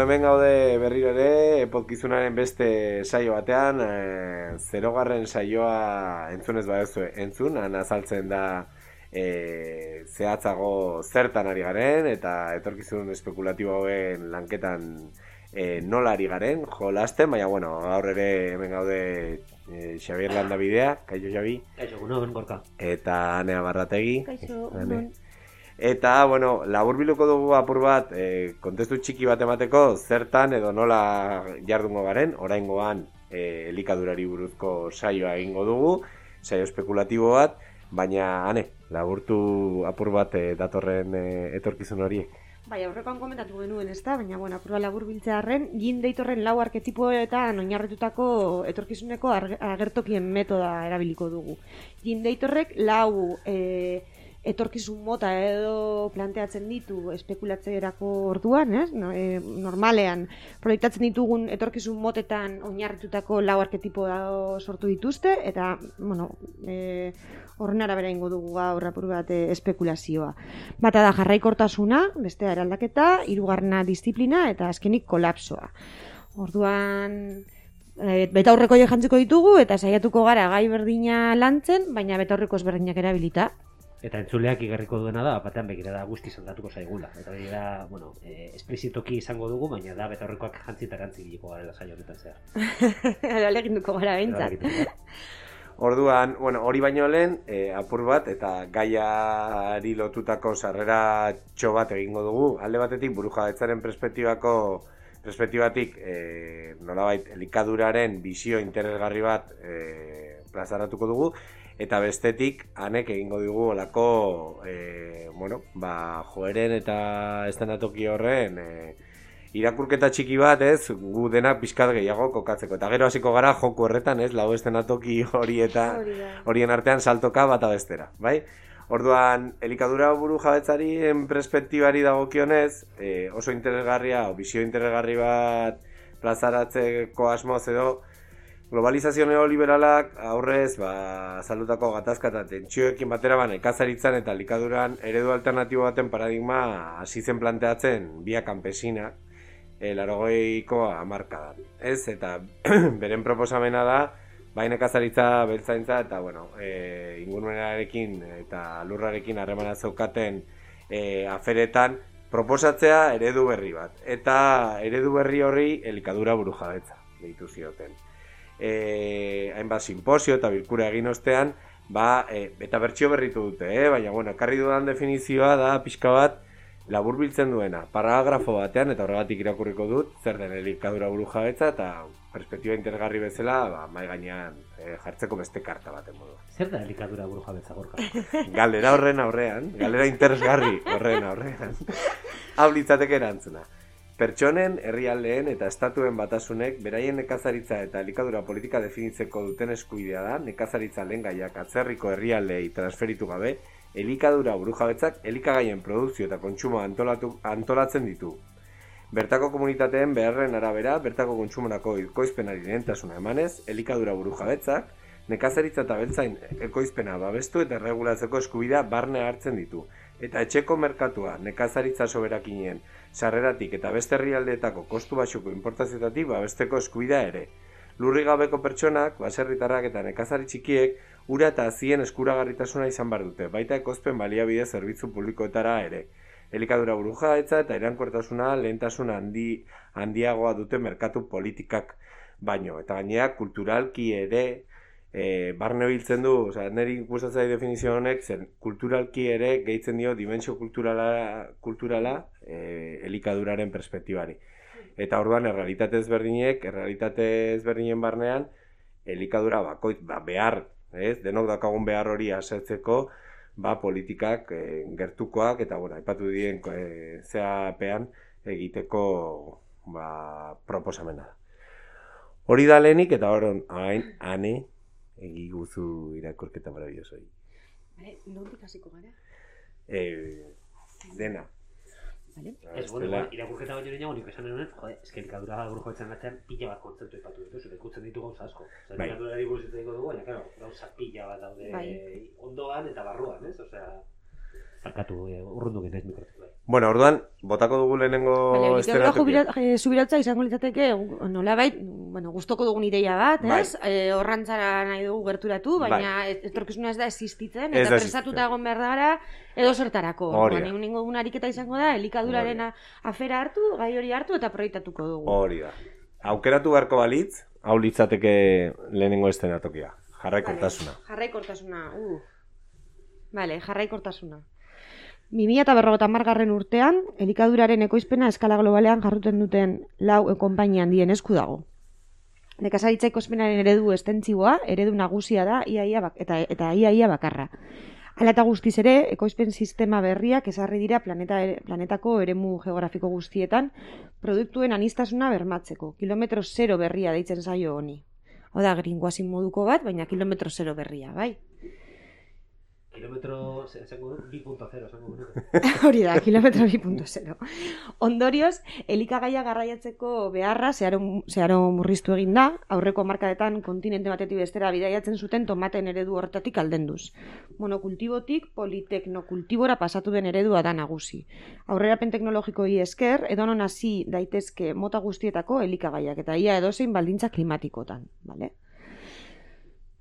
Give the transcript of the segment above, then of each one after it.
hemen gaude berriro ere, podcastunaren beste saio batean, 0. Saioa entzunez baduzu entzun, han azaltzen da zehatzago zertan ari garen, eta etorkizun espekulatibo hauen lanketan nola ari garen, jolasten, baina bueno, gaur ere hemen gaude Xabier Landabidea, kaixo Xabi. Kaixo, gunon, gorka. Eta Anea Barrategi. Kaixo, Eta, bueno, laburbiluko dugu apur bat, kontestu txiki bat emateko, zertan edo nola jardungo garen, oraingoan elikadurari buruzko saioa egingo dugu, saio espekulatibo bat, baina, Ane, laburtu apur bat datorren etorkizun horiek. Bai, aurrekoan komentatu genuen, ezta? Baina, bueno, apurra labur biltzearren, Jin Deitorren 4 arketipoetan oinarritutako etorkizuneko agertokien metoda erabiliko dugu. Jin Deitorrek 4 etorkizun mota edo planteatzen ditu espekulatzerako orduan, ez? Normalean proiektatzen ditugun etorkizun motetan oinarritutako 4 arketipo sortu dituzte, eta, bueno, horren arabera ingo dugu gaur apur bat espekulazioa. Bata da jarraikortasuna, bestea eraldaketa, 3. disiplina eta azkenik kolapsoa. Orduan, betaurreko jantziko ditugu eta saiatuko gara gai berdina lantzen, baina betaurreko ezberdinak erabilita. Eta entzuleak igarriko duena da, batean begirada guzti zaldatuko zaigula. Eta begira, bueno, esplizitoki izango dugu, baina da betaurrekoak jantzi eta erantzi biliko garela saio honetan zehar. Aleginduko gara behintzat. Orduan, bueno, hori baino lehen, apur bat, eta gaiari lotutako sarrera bat egingo dugu. Alde batetik, burujabetzaren perspektibatik, nolabait, elikaduraren bizio interesgarri bat plazaratuko dugu, eta bestetik, Anek egingo dugu olako, joeren eta estenatoki horren irakurketa txiki bat, ez, gu denak pixkat gehiago kokatzeko. Eta gero hasiko gara joku horretan, ez, 4 estenatoki horien artean saltoka bata bestera, bai? Orduan, elikadura burujabetzaren perspektibari dagokionez, oso interesgarria, o bizio interesgarri bat plazaratzeko asmoz edo, globalizazio neoliberalak aurrez azaldutako gatazka eta tentsioekin batera nekazaritzan eta elikaduran eredu alternatibo baten paradigma hasi zen planteatzen via campesina 80ko hamarkadan. Ez, eta beren proposamena da bai nekazaritza, beltzaintza eta bueno, ingurumenarekin eta lurrarekin harremana zeukaten aferetan proposatzea eredu berri bat. Eta eredu berri horri elikadura burujabetza deitu zioten. Hainbat simposio eta bilkura egin ostean, eta bertsio berritu dute, baina, bueno, ekarri dudan definizioa da pixka bat laburbiltzen duena, paragrafo batean, eta horregatik irakurriko dut, zer den elikadura burujabetza, eta perspektiba interesgarri bezala, mai gainean jartzeko beste karta baten modu. Zer da elikadura burujabetza, gorka? Galera horren aurrean, galera interesgarri horren aurrean, hau litzateke erantzuna. Pertsonen, herrialdeen eta estatuen batasunek beraien nekazaritza eta elikadura politika definitzeko duten eskubidea da, nekazaritza lehengaiak atzerriko herrialdeei transferitu gabe, elikadura burujabetzak elikagaien produkzio eta kontsumo antolatzen ditu. Bertako komunitateen beharren arabera, bertako kontsumorako ekoizpenari lehentasuna emanez, elikadura burujabetzak, nekazaritza eta beltzain ekoizpena babestu eta regulatzeko eskubidea barne hartzen ditu. Eta etxeko merkatua, nekazaritza soberakinien, sarreratik eta beste herrialdeetako kostu baxuko importazioetatik babesteko eskubidea ere. Lurri gabeko pertsonak, baserritarrak eta nekazari txikiek, ura eta hazien eskuragarritasuna izan behar dute, baita ekoizpen baliabide zerbitzu publikoetara ere. Elikadura burujabetza eta iraunkortasuna lehentasun handiagoa dute merkatu politikak baino. Eta gainera, kulturalki ere, barne biltzen du, niri gustatzen definizio honek, zen kulturalki ere gehitzen dio dimensio kulturala elikaduraren perspektibari. Eta orduan, errealitate ezberdinen barnean, elikadura behar, denok dakagun behar hori asertzeko, politikak gertukoak, eta aipatu dien zeapean egiteko proposamena da. Hori da lehenik, eta horren, Ane, egiguzu irakurketa marabiosoi. Nondik hasiko gara? Dena. Vale. Ez, bueno, irakurketa baino nireñago nik esan denuen, eske elikadura burujabetzaren batean pila bat kontzeptu ipatu dituzu, ikutzen ditu gauza asko. Elikadurari buruz hitz egingo dugu, baina, claro, gauza pila bat daude ondoan eta barruan, ez? Osea, Barkatu, urrundu genaiz mikrotik. Bueno, orduan, botako dugu lehenengo elikadura subirautza izango litzateke, nolabait, gustoko dugun ideia bat, ez? Horrantzara nahi dugu gerturatu, baina etorkizuna ez da existitzen, eta prestatuta egon behar gara, edo zertarako. Ningo dugun ariketa izango da, elikaduraren afera hartu, gai hori hartu, eta proiektatuko dugu. Hori da. Aukeratu beharko balitz, hau litzateke lehenengo eszenatokia. Jarraikortasuna. Jarraikortasuna. 2050 urtean, elikaduraren ekoizpena eskala globalean jarruten duten 4 konpainia handien esku dago. Nekazaritza ekoizpenaren eredu estentziboa, eredu nagusia da eta iaia bakarra. Hala eta guztiz ere, ekoizpen sistema berriak ezarri dira planetako eremu geografiko guztietan produktuen aniztasuna bermatzeko. Kilometro zero berria deitzen zaio honi. Hau da, greenwashing moduko bat, baina kilometro zero berria, bai? Kilometro 2.0, zango nuke. Hori da, kilometro 2.0. Ondorioz, elikagaia garraiatzeko beharra zeharo murriztu egin da, aurreko markadetan kontinente batetik bestera bidaiatzen zuten tomaten eredu horretatik aldenduz. Monokultibotik politeknokultibora pasatu den eredua da nagusi. Aurrerapen teknologikoi esker, edonon hasi daitezke mota guztietako elikagaiak, eta ia edozein baldintza klimatikotan, bale?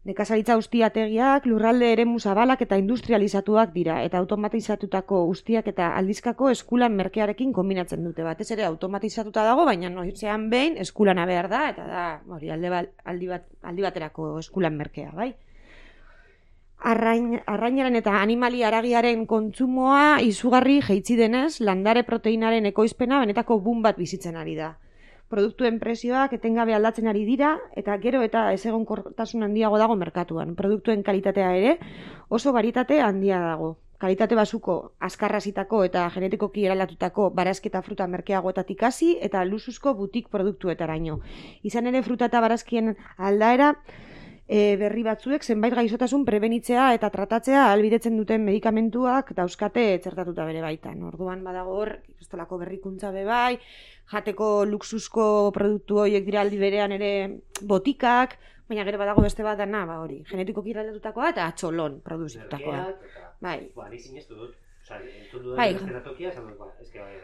Nekazaritza ustiategiak, lurralde eremu zabalak eta industrializatuak dira, eta automatizatutako ustiak eta aldizkako eskulan merkearekin kombinatzen dute. Batez ere automatizatuta dago, baina noizean behin eskulana behar da, eta da aldi baterako eskulan merkea, bai? Arrainaren eta animali haragiaren kontsumoa izugarri jaitsi denez, landare proteinaren ekoizpena benetako boom bat bizitzen ari da. Produktuen prezioak etengabe aldatzen ari dira, eta gero eta ezegonkortasun handiago dago merkatuan. Produktuen kalitatea ere oso baritate handia dago. Kalitate basuko azkarrazitako eta genetikoki eralatutako barazki eta fruta merkeagoetatik hasi eta luzuzko butik produktuetaraino. Izan ere fruta eta barazkien aldaera berri batzuek zenbait gaixotasun prebenitzea eta tratatzea ahalbidetzen duten medikamentuak dauzkate txertatuta bere baitan. Orduan badago hor, ikastolako berrikuntza bebai, jateko luxuzko produktu horiek dira aldi berean ere botikak, baina gero badago beste bat dana, hori, genetikoki eralatutakoa eta atxolon produzitutakoa. Bai. Ni sinestu dut.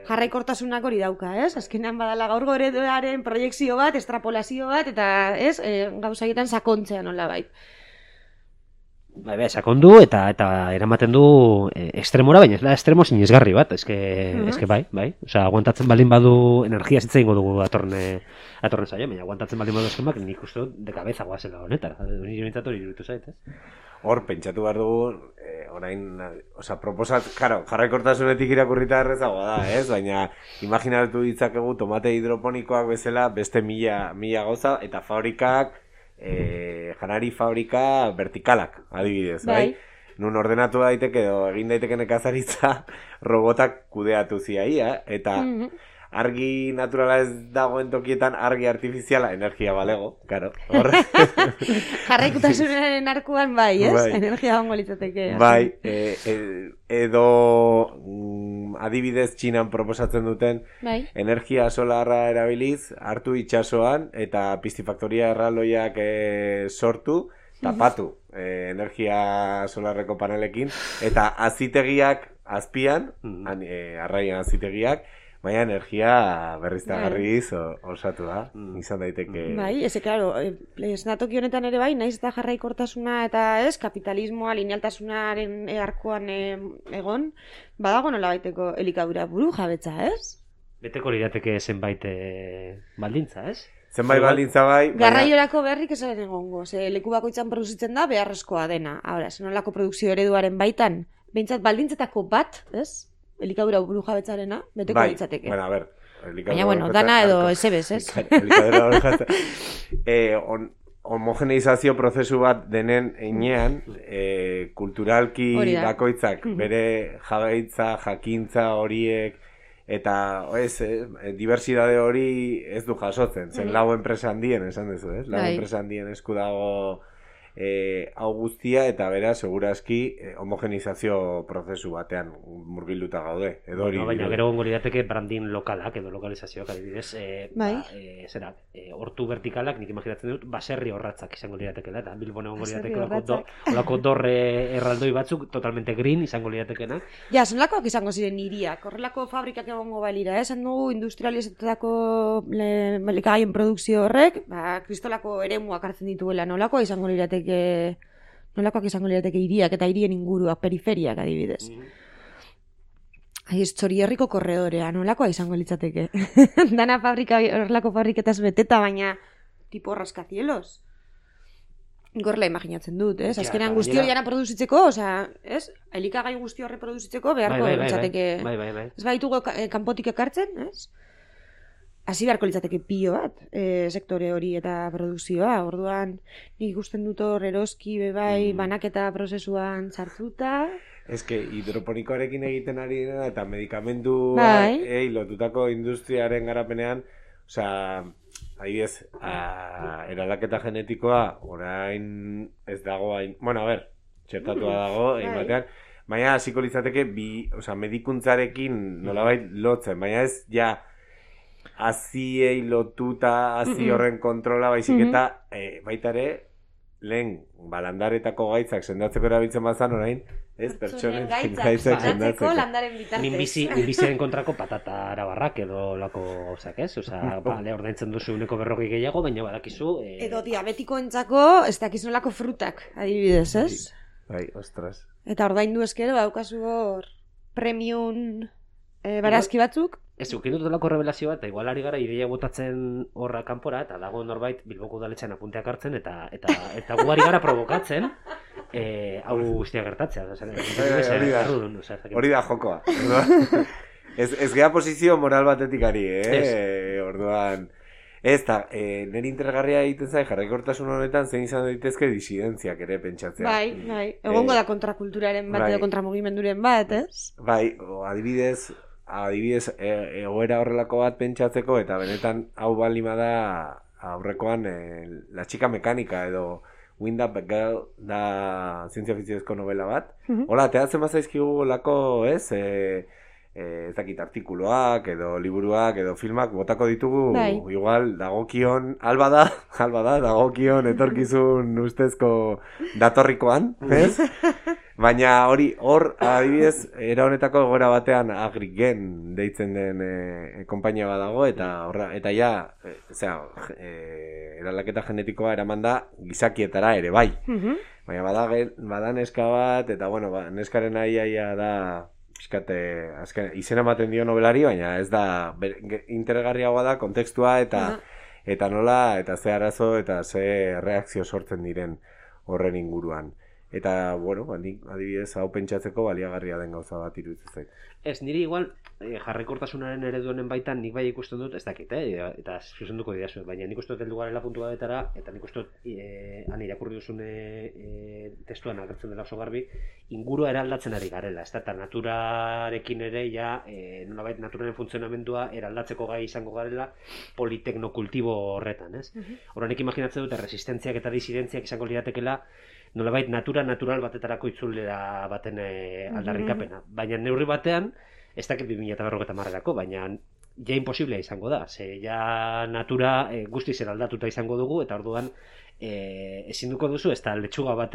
Jarraikortasunak hori dauka, ez? Azkenean badala gaur ereduaren proiekzio bat, estrapolazio bat, eta ez, gauzaietan sakontzea nola bait. Sakondu eta eramaten du estremora, baina ez da estremo sinesgarri bat, eske bai. Osea, aguantatzen baldin badu energia zitza ingo dugu atorren saio, baina aguantatzen baldin badu eskemak nik uste dut de cabeza goazela honetara. Ni jonetzat hori iruditu zait, ez? Hor, pentsatu behar dugu, orain, jarraikortasunetik irakurrita errezagoa da, ez? Baina, imaginatu ditzakegu tomate hidroponikoak bezala beste mila gauza, eta fabrikak, janari fabrika vertikalak, adibidez, bai? Nun ordenatu daiteke edo egin daiteke nekazaritza robotak kudeatu ziaia, eta argi naturala ez dagoen tokietan argi artifiziala energia balego, karo, hor. Jarraikotasunaren arkuan bai, ez? Bai. Energia hongo litzateke. Bai, edo adibidez Txinan proposatzen duten energia solarra erabiliz, hartu itsasoan eta piscifaktoria erraldoiak sortu, tapatu energia solarreko panelekin, eta azitegiak azpian, arraian azitegiak, baina energia berriztagarriz osatu da, izan daiteke. Bai, claro, esnatoki honetan ere bai, naiz eta jarraikortasuna eta ez, kapitalismoa, linealtasunaren arkuan egon, badago nola baiteko elikadura buru jabetza, ez? Beteko lirateke zenbait baldintza, ez? Zenbait baldintza bai. Garraiorako berrik esaren egongo, leku bakoitzan produzitzen da beharrezkoa dena. Ahora, zenolako produkzio ereduaren baitan, behintzat baldintzetako bat, ez? Elikadura buru jabetzarena, beteko ditzateke. Bueno, a ver, baina, dana edo esebez, ez? Elikadura buru jabetzarena. Homogeneizazio prozesu bat denen einean, kulturalki bakoitzak, bere jabeitza, jakintza horiek, eta diversidade hori ez du jasotzen. Zen lau enpresa handien, esan duzu, ez? Lau enpresa handien esku dago hau guztia eta bera segurazki homogenizazio prozesu batean murgilduta gaude. Edo hori. Baina gero gongo lirateke branding lokalak edo lokalizazioak adibidez, hortu vertikalak nik imaginatzen dut baserri horratzak izango liratekela eta Bilbon egongo lirateke olako dorre erraldoi batzuk totalmente green izango liratekenak. Ja, zenlakoak izango ziren hiriak, horrelako fabrikak egongo balira, esan dugu industrializatutako elikagaien produkzio horrek, kristolako eremuak hartzen dituela, nolakoak izango lirateke hiriak eta hirien inguruak, periferiak adibidez. Txorierriko korredorea, nolakoa izango litzateke. Dana horrelako fabriketaz beteta, baina tipo rascacielos. Gorla imaginatzen dut, ez? Azkenean guzti hori jana produzitzeko, ez? Elikagai guzti horre produzitzeko beharko litzateke. Ez baitugu kanpotik ekartzen, ez? Hasi beharko litzateke pilo bat, sektore hori eta produkzioa. Orduan, nik ikusten dut hor eroski bebai banaketa prozesuan sartuta. Ez que hidroponikoarekin egiten ari dena eta medikamendu lotutako industriaren garapenean, adibidez, eraldaketa genetikoa orain ez dago hain, txertatua dago batean, baina hasiko litzateke medikuntzarekin nolabait lotzen, baina ez haziei lotuta, hazi horren kontrola baizik eta baita ere lehen landaretako gaitzak sendatzeko erabiltzen bazan orain, ez pertsonen gaitzak sendatzeko landaren bitartez. Minbiziaren kontrako patata arabarrak edo lako gauzak, ez? Ordaintzen duzu 140 gehiago, baina badakizu... Edo diabetikoentzako ez dakizu nolako frutak, adibidez, ez? Bai, ostras. Eta ordaindu eskero, daukazu hor premium barazki batzuk. Ez, ukin dut delako revelazio bat, igual ari gara ideia botatzen horra kanpora, eta dago norbait Bilboko udaletxean apunteak hartzen, eta gu ari gara provokatzen, hau guztia gertatzea. Hori da jokoa. Ez gea posizio moral batetik ari, orduan... Ez da, nire interesgarria egiten zai, jarraikortasun honetan zein izan daitezke disidentziak ere pentsatzea. Bai, egongo da kontrakulturaren bat edo kontramugimenduren bat, ez? Bai, adibidez, egoera horrelako bat pentsatzeko, eta benetan hau balima da aurrekoan La chica mekanika edo Wind Up Girl da zientzia fikziozko novela bat. Hola, teatzen bazaizkigu lako, ez? Ez dakit artikuluak edo liburuak edo filmak botako ditugu, igual dagokion, alba da, dagokion etorkizun ustezko datorrikoan, ez? Baina hor, adibidez, era honetako egoera batean Agrigen deitzen den konpainia bat dago, eta eraldaketa genetikoa eraman da gizakietara ere, bai. Baina bada neska bat, eta neskaren aia da, izena ematen dio nobelari, baina ez da, interesgarriagoa da, kontekstua eta nola, eta ze arazo, eta ze reakzio sortzen diren horren inguruan. Eta, adibidez, hau pentsatzeko baliagarria den gauza bat iruditzen zait. Ez, niri igual, jarraikortasunaren ereduenen baitan nik bai ikusten dut, ez dakit, eta zuzenduko didazu, baina nik uste dut heldu garela puntu batetara, eta nik uste dut, han irakurri duzun testuan agertzen dela oso garbi, ingurua eraldatzen ari garela, ez da, eta naturarekin ere, nolabait naturaren funtzionamendua eraldatzeko gai izango garela politeknokultibo horretan, ez? Horrenik imaginatzen dut, resistentziak eta disidentziak izango liratekela, nolabait natural batetarako itzulera baten aldarrikapena. Baina neurri batean, ez dakit 2050erako, baina ja imposiblea izango da. Ze ja natura guztiz eraldatuta izango dugu, eta orduan ezin duko duzu, ez da letxuga bat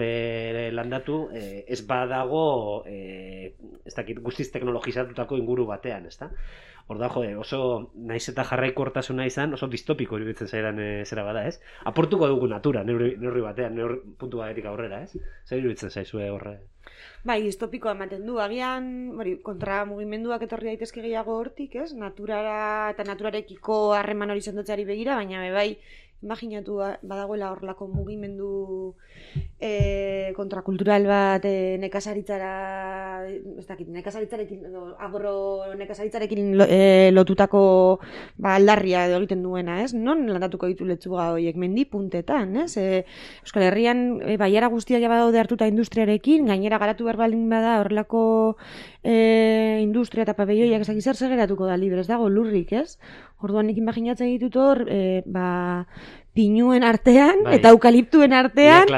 landatu, ez badago, ez dakit guztiz teknologizatutako inguru batean, ez da? Orduan, oso naiz eta jarraikortasuna izan, oso distopiko iruditzen zaidan zera bada, ez? Aportuko dugu natura, neurri batean, puntu batetik aurrera, ez? Zer iruditzen zaizue horre? Bai, distopikoa ematen du, agian, kontra mugimenduak etorri daitezke gehiago hortik, ez? Naturara eta naturarekiko harreman hori sendatzeari begira, baina bai, imaginatu badagoela horrelako mugimendu kontrakultural bat nekazaritzara, ez dakit, nekazaritzarekin edo agronekazaritzarekin lotutako aldarria edo egiten duena, ez? Non landatuko ditu letxuga horiek mendi puntetan, ez? Euskal Herrian baiara guztiak badaude hartuta industriarekin, gainera garatu behar baldin bada horrelako industria eta pabelloiak ezak zer geratuko da libre, ez dago lurrik, ez? Orduan nik imaginatzen ditut hor, pinuen artean, eta eukaliptuen artean,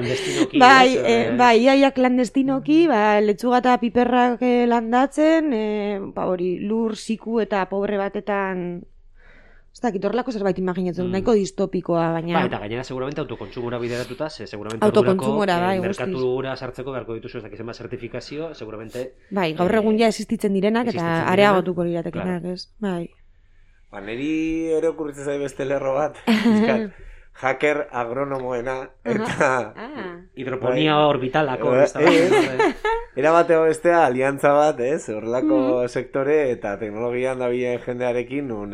ia klandestinoki, letzuga eta piperrak landatzen, hori, lur, ziku eta pobre batetan, ez dakit, horrelako zerbait imaginatzen, nahiko distopikoa, baina... Eta gainera, seguramente, autokontsumora bideratuta, seguramente merkatura sartzeko beharko dituzu, ez dakizema zertifikazio, seguramente... Gaur egun ja existitzen direnak, eta areagotuko liratekenak, ez? Neri ere okurritzen zai beste lerro bat, hacker agronomoena, eta... Hidroponia orbitalako. Era bateo bestea, aliantza bat, ez? Horrelako sektore eta teknologian dabilen jendearekin, nun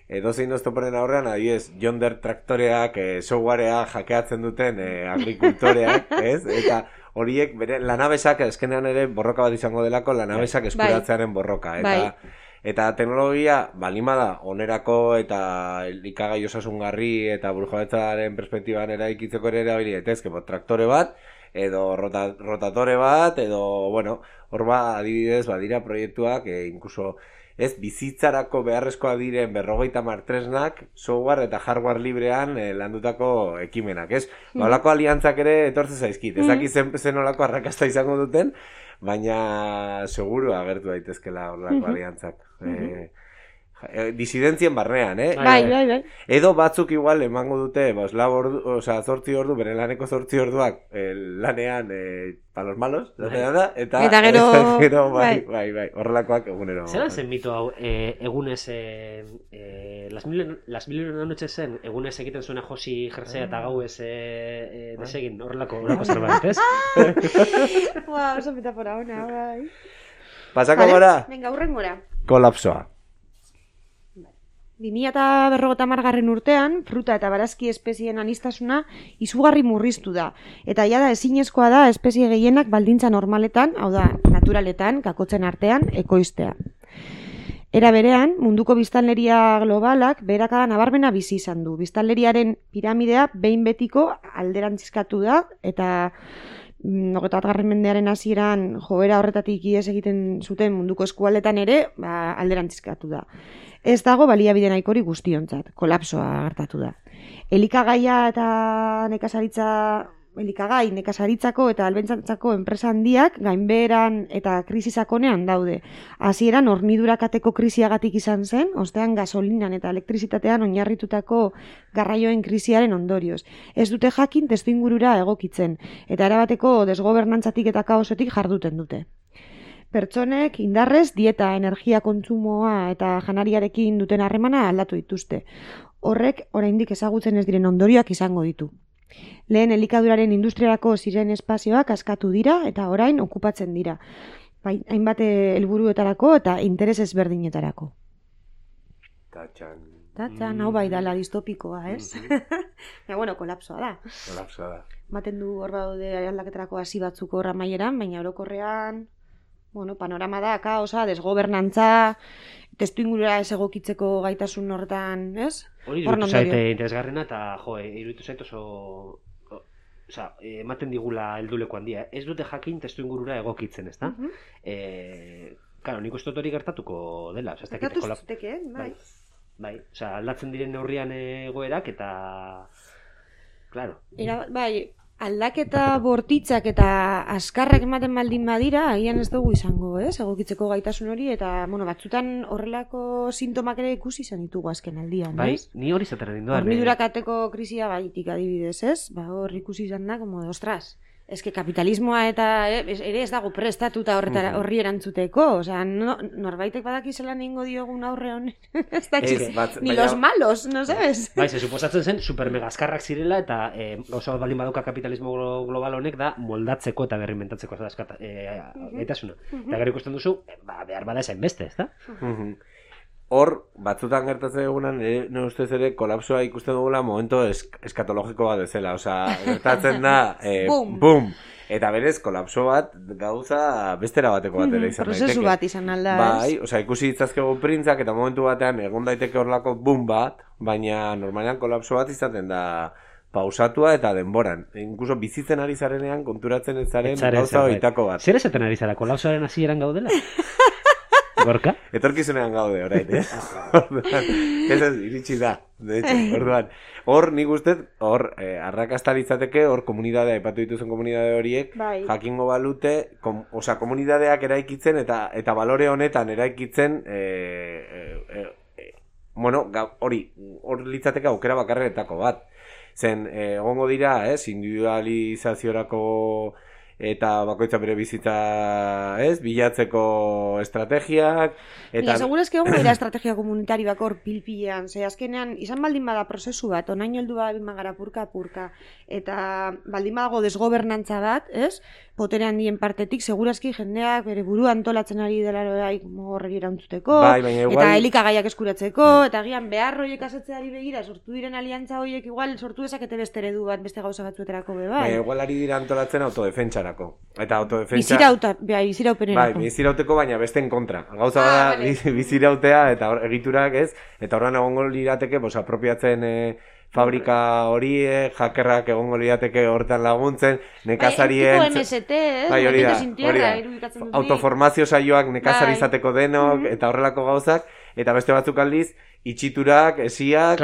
edozein oztoporen aurrean, adibidez, Yonder traktoreak, softwarea hackeatzen duten agrikultoreak, ez? Eta horiek, bere, lanabesak, eskenean ere borroka bat izango delako, lanabesak eskuratzearen borroka, eta teknologia balimada onerako eta elikagai osasungarri eta burujabetzaren perspektiban eraikitzeko ere erabili daitezke, traktore bat edo rotatore bat edo, bueno, hor adibidez badira proiektuak, inkluso ez bizitzarako beharrezkoa diren 50 tresnak, software eta hardware librean landutako ekimenak, ez? Olako aliantzak ere etortzen zaizkit, ez dakit zen olako arrakasta izango duten, baina seguru agertu daitezkela horrelako aliantzak. Disidentzien barnean, Bai. Edo batzuk igual emango dute, 8 ordu, bere laneko 8 orduak lanean palos malos, eta gero, bai, horrelakoak egunero. Zer zen mito hau, egunez, las mil una noche zen, egunez egiten zuena Josi jersea eta gau ez desegin, horrelako zerbait, ez? Oso metafora ona, bai. Pasako gara? Venga, hurrengora. Kolapsoa. 2050 urtean, fruta eta barazki espezien anistasuna izugarri murriztu da. Eta jada ezinezkoa da espezie gehienak baldintza normaletan, hau da, naturaletan, kakotzen artean, ekoiztea. Era berean, munduko biztanleria globalak beherakada nabarmena bizi izan du. Biztanleriaren piramidea behin betiko alderantzizkatu da, eta 21. mendearen hasieran joera horretatik ihes egiten zuten munduko eskualdetan ere, alderantzizkatu da. Ez dago baliabide nahikori guztiontzat, kolapsoa gertatu da. Elikagaia eta nekazaritzako eta albentzantzako enpresa handiak gainbeheran eta krisi sakonean daude. Hasieran hornidurakateko krisiagatik izan zen, ostean gasolinan eta elektrizitatean oinarritutako garraioen krisiaren ondorioz. Ez dute jakin testuingurura egokitzen, eta erabateko desgobernantzatik eta kaosetik jarduten dute. Pertsonek indarrez dieta, energia kontsumoa eta janariarekin duten harremana aldatu dituzte. Horrek oraindik ezagutzen ez diren ondorioak izango ditu. Lehen elikaduraren industriarako ziren espazioak askatu dira eta orain okupatzen dira. Hainbat helburuetarako eta interes ezberdinetarako. Tatxan, hau bai dala distopikoa, ez? Kolapsoa da. Maten du hor daude aldaketarako hasi batzuk horra maieran, baina orokorrean panorama da, kaosa, desgobernantza, testuingurura ez egokitzeko gaitasun horretan, ez? Hori iruditu zaite interesgarrena eta, iruditu zaite oso... ematen digula helduleko handia. Ez dute jakin testuingurura egokitzen, ez da? Claro, nik uste hori gertatuko dela. Gertatu zuteke, bai. Bai, aldatzen diren neurrian egoerak eta... Claro. Bai, aldaketa bortitzak eta askarrak ematen baldin badira, agian ez dugu izango, ez? Egokitzeko gaitasun hori, eta, batzutan horrelako sintomak ere ikusi izan ditugu azken aldian, ez? Bai, ni hori zaten egin duan. Hornidurakateko krisia baitik adibidez, ez? Hor ikusi izan da, ostras, eske kapitalismoa eta ere ez dago prestatuta horri erantzuteko, norbaitek badaki zelan egingo diogun aurre honen, ez dakit, ni los malos, no sabes? Bai, se suposatzen zen supermegaskarrak zirela eta gauza bat baldin badauka kapitalismo global honek da moldatzeko eta berrimentatzeko gaitasuna. Eta gero ikusten duzu, behar bada esain beste, ez da? Hor, batzutan gertatzen egunan, nire ustez ere, kolapsoa ikusten dugula momento eskatologiko bat bezala. Gertatzen da, bum! Eta berez, kolapso bat gauza bestera bateko bat ere izan daiteke. Prozesu bat izan alda, ez? Bai, ikusi ditzazkegu printzak eta momentu batean egon daiteke horlako bum bat, baina normalean kolapso bat izaten da pausatua eta denboran. Inkluso bizitzen ari zarenean konturatzen ez zaren gauza oitako bat. Zer esaten ari zara, kolapsoaren hasieran gaudela? Gorka? Etorkizunean gaude, orain, ez iritsi da, de hecho, orduan. Hor, nik ustez, arrakasta litzateke, hor komunidadea, aipatu dituzun komunidade horiek, jakingo balute, komunidadeak eraikitzen eta balore honetan eraikitzen, hor litzateke aukera bakarretako bat. Zen, egongo dira, individualizaziorako eta bakoitza bere bizitza, bilatzeko estrategiak. Baina, seguraz que egongo dira estrategia komunitari bakor pilpilean, ze azkenean, izan baldin bada prozesu bat, onaino heldu baldin bagara purka, eta baldin badago desgobernantza bat, poterean dien partetik, segurazki jendeak bere burua antolatzen ari dela horreri erantzuteko, eta elikagaiak eskuratzeko, eta gian behar horiek asetzeari begira, sortu diren aliantza horiek igual sortu dezakete beste eredu bat, beste gauza batzueterako bai. Igual ari dira antolatzen autodefentsarako. Eta autodefentsa... Biziraupenerako. Bizirauteko, baina besten kontra. Gauza da, bizirautea, eta egiturak eta horren egongo lirateke, apropiatzen... fabrika horiek, hackerrak egongo lirateke hortan laguntzen, nekazarien... Tipo MST, autoformazio saioak nekazari izateko denok, eta horrelako gauzak, eta beste batzuk aldiz, itxiturak, esiak...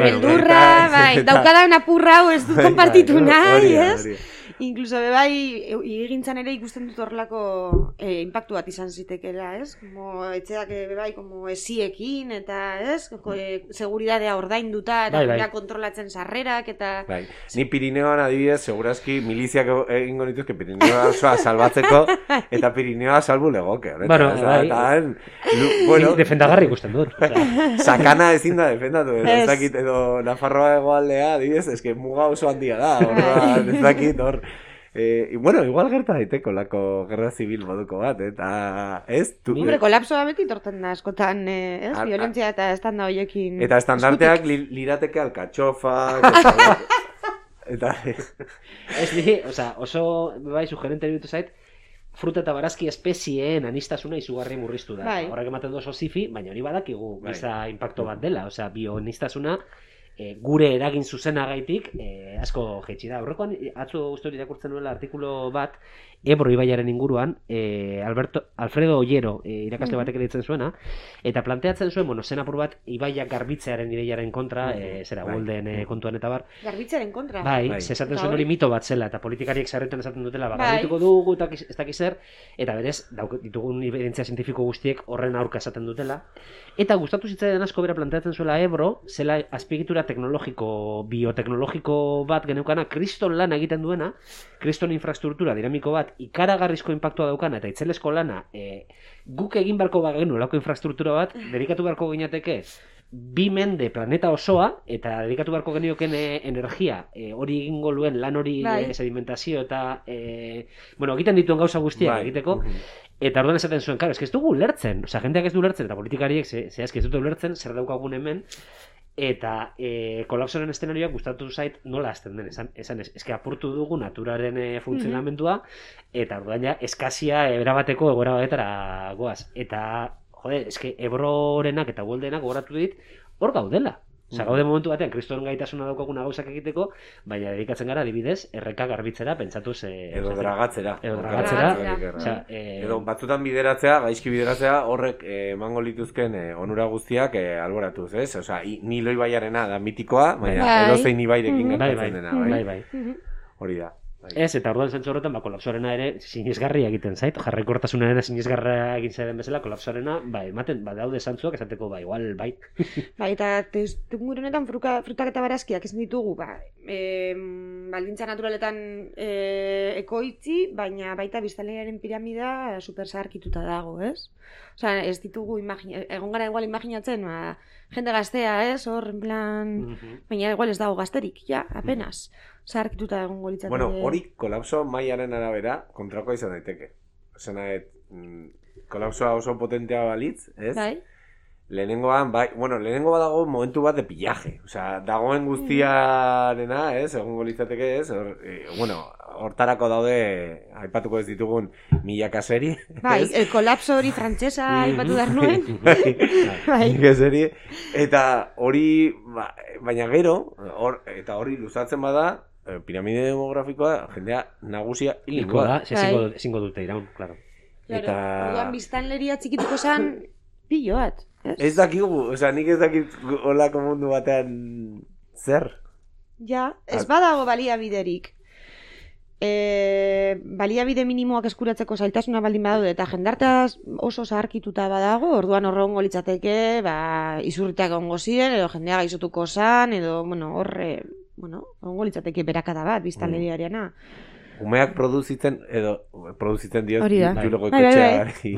Beldurra, daukada apurra hau ez du konpartitu nahi, Incluso egintzan ere ikusten dut horrelako impactu bat izan zitekela, Como etxeak como esiekin, eta, seguridadea ordainduta, eta kontrolatzen sarrerak, eta... Ni Pirineoan adibidez, segurazki miliziak egingo nituzke Pirineoa osoa salbatzeko, eta Pirineoa salbu legoke. Defendagarri ikusten dut. Sakana ezin da defendatu, ez dakit, edo Nafarroa hegoaldea, adibidez, eske muga oso handia da, ez dakit, hor... igual gerta daiteko lako gerra zibil moduko bat, eta kolapsoa beti torten da askotan, violentzia eta estanda horiekin... Eta estandarteak lirateke alkatxofa... Eta... oso, sugerente ditu zait, fruta eta barazki espezieen anistasuna izugarri murriztu da. Horrek ematen du oso zifi, baina hori badakigu giza impacto bat dela, bioanistasuna gure eragin zuzenagaitik asko jaitsi da. Horrekoan, atzo uste hori irakurtzen nuela artikulu bat, Ebro ibaiaren inguruan, Alfredo Ollero irakasle batek editzen zuena, eta planteatzen zuen, zen apur bat, ibaiak garbitzearen ideiaren kontra, Golden kontuan eta bar. Garbitzearen kontra? Bai, esaten zuen hori mito bat zela, eta politikariek sarretan esaten dutela, garbituko dugu, ez dakiz zer, eta berez, ditugun evidentzia zientifiko guztiek horren aurka esaten dutela, eta gustatu zitzaidan asko bera planteatzen zuela Ebro, zela azpiegitura teknologiko, bioteknologiko bat geneukana, kriston lan egiten duena, kriston infrastruktura dinamiko bat, ikaragarrizko inpaktua daukana eta itzelesko lana guk egin beharko bagenu lako infrastruktura bat, dedikatu beharko ginateke 2 mende planeta osoa eta dedikatu beharko genioken energia hori egingo luen lan hori sedimentazio eta egiten dituen gauza guztiak egiteko eta orduan esaten zuen, ez dugu ulertzen, jendeak ez du ulertzen eta politikariek zehazki ez dute ulertzen zer daukagun hemen eta kolapsoren eszenarioak gustatu zait nola hasten den, eske apurtu dugu naturaren funtzionamendua eta orduan ja eskazia erabateko egoera batetara goaz eta eske Ebrorenak eta Goldenak gogoratu dit hor gaudela. Gaude momentu batean, kristoren gaitasuna daukaguna gauzak egiteko, baina dedikatzen gara adibidez, erreka garbitzera, pentsatuz... Edo dragatzera. Edo batzutan bideratzea, gaizki bideratzea, horrek emango lituzken onura guztiak alboratuz, ez? Osea, Nilo ibaiarena da mitikoa, baina edozein ibairekin gertatzen dena, bai? Hori da. Ez, eta orduan zentzu horretan, kolapsoarena ere sinesgarria egiten zait, jarraikortasunaren sinesgarria egin zaiden bezala, kolapsoarena, ematen, badaude zantzuak esateko, igual, bai. Eta testuinguru honetan frutak eta barazkiak ez ditugu, baldintza naturaletan ekoitzi, baina baita biztanlearen piramida super zaharkituta dago, ez? Osea, ez ditugu, egon gara igual imaginatzen, jende gaztea, ez? Hor, en plan, baina igual ez dago gazterik, ja, apenas. Zaharkituta egongo litzateke. Bueno, hori kolapso mailaren arabera kontrakoa izan daiteke. Osena, kolapsoa oso potentea balitz, ez? Bai. Lehenengoan badago momentu bat de pillaje. Osea, dagoen guztiarena, ez? Egongo litzateke, ez? Hortarako daude, aipatuko ez ditugun milaka seri. Bai, el kolapso hori frantsesa aipatu dar nuen. Milaka seri. Eta hori, baina gero, eta hori luzatzen bada, piramide demografikoa, jendea nagusia hilko da, ezingo dute iraun, claro. Eta... Orduan biztanleria txikituko zen pilo bat. Ez dakigu, nik ez dakit olako mundu batean zer. Ja, ez badago baliabiderik. Baliabide minimoak eskuratzeko zailtasuna baldin badaude eta jendarteaz oso zaharkituta badago, orduan horrengo litzateke, izurritak egongo ziren, edo jendea gaixotuko zan, edo, horrengo litzateke berakada bat, biztanleriarena. Umeak produzitzen dio julego ikotxeari